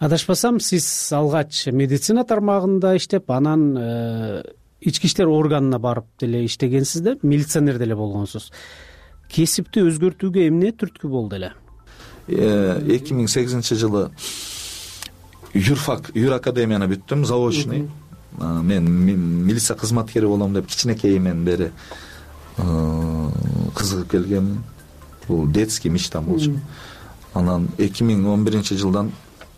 Адашпасам, сиз алгач медицина тармагында иштеп, анан ички иштер органына барып деле иштегенсиз да, милиционер деле болгонсуз. Кесипти өзгөртүүгө эмне түрткү болду эле? 2008-жылы юракадемияны бүттүм, заочный. Мен милиция кызматкери болом деп кичинекейимден бери кызыгып келгенмин. Бул детский мечтам болчу. Анан 2011-жылдан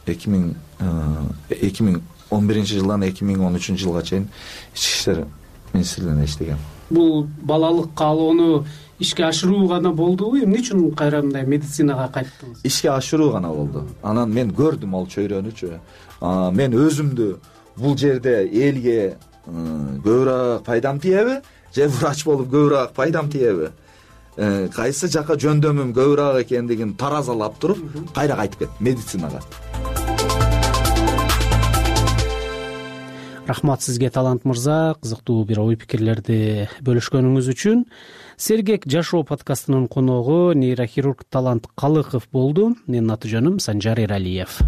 2013-жылга чейин ички иштер министрлигинде иштегем. Бул балалык каалоону ишке ашыруу гана болдубу? Эмне үчүн кайра мындай медицинага кайттыңыз? Ишке ашыруу гана болду. Анан мен көрдүм ал чөйрөнүчү. Мен өзүмдү бул жерде элге көбүрөөк пайдам тиеби, же врач болуп көбүрөөк пайдам тиеби? Кайсы жака жөндөмүм көбүрөөк экендигин таразалап туруп, кайра кайтып кеттим медицинага. Рахмат сизге, Талант мырза, кызыктуу бир ой пикирлерди бөлүшкөнүңүз үчүн. Сергек жашоо подкастынын коногу нейрохирург Талант Калыков болду. Менин аты жөнүм Санжар Эралиев.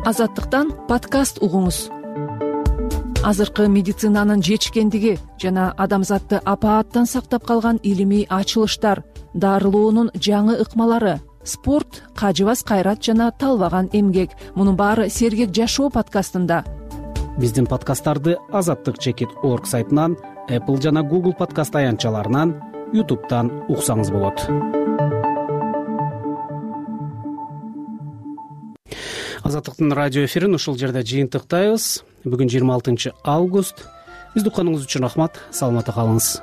Азаттыктан подкаст угуңуз. Азыркы медицинанын жетишкендиги жана адамзатты апааттан сактап калган илимий ачылыштар, дарылоонун жаңы ыкмалары, спорт, кажыбас кайрат жана талбаган эмгек. Мунун баары Сергек жашоо подкастында. Биздин подкасттарды azattik.org сайтынан, Apple жана Google подкаст аянтчаларынан, YouTube'дан уксаңыз болот. Азаттыктын радио эфирин ушул жерде жыйынтыктайбыз. Бүгүн 26 август. Бизди укканыңыз үчүн рахмат. Саламатта калыңыз.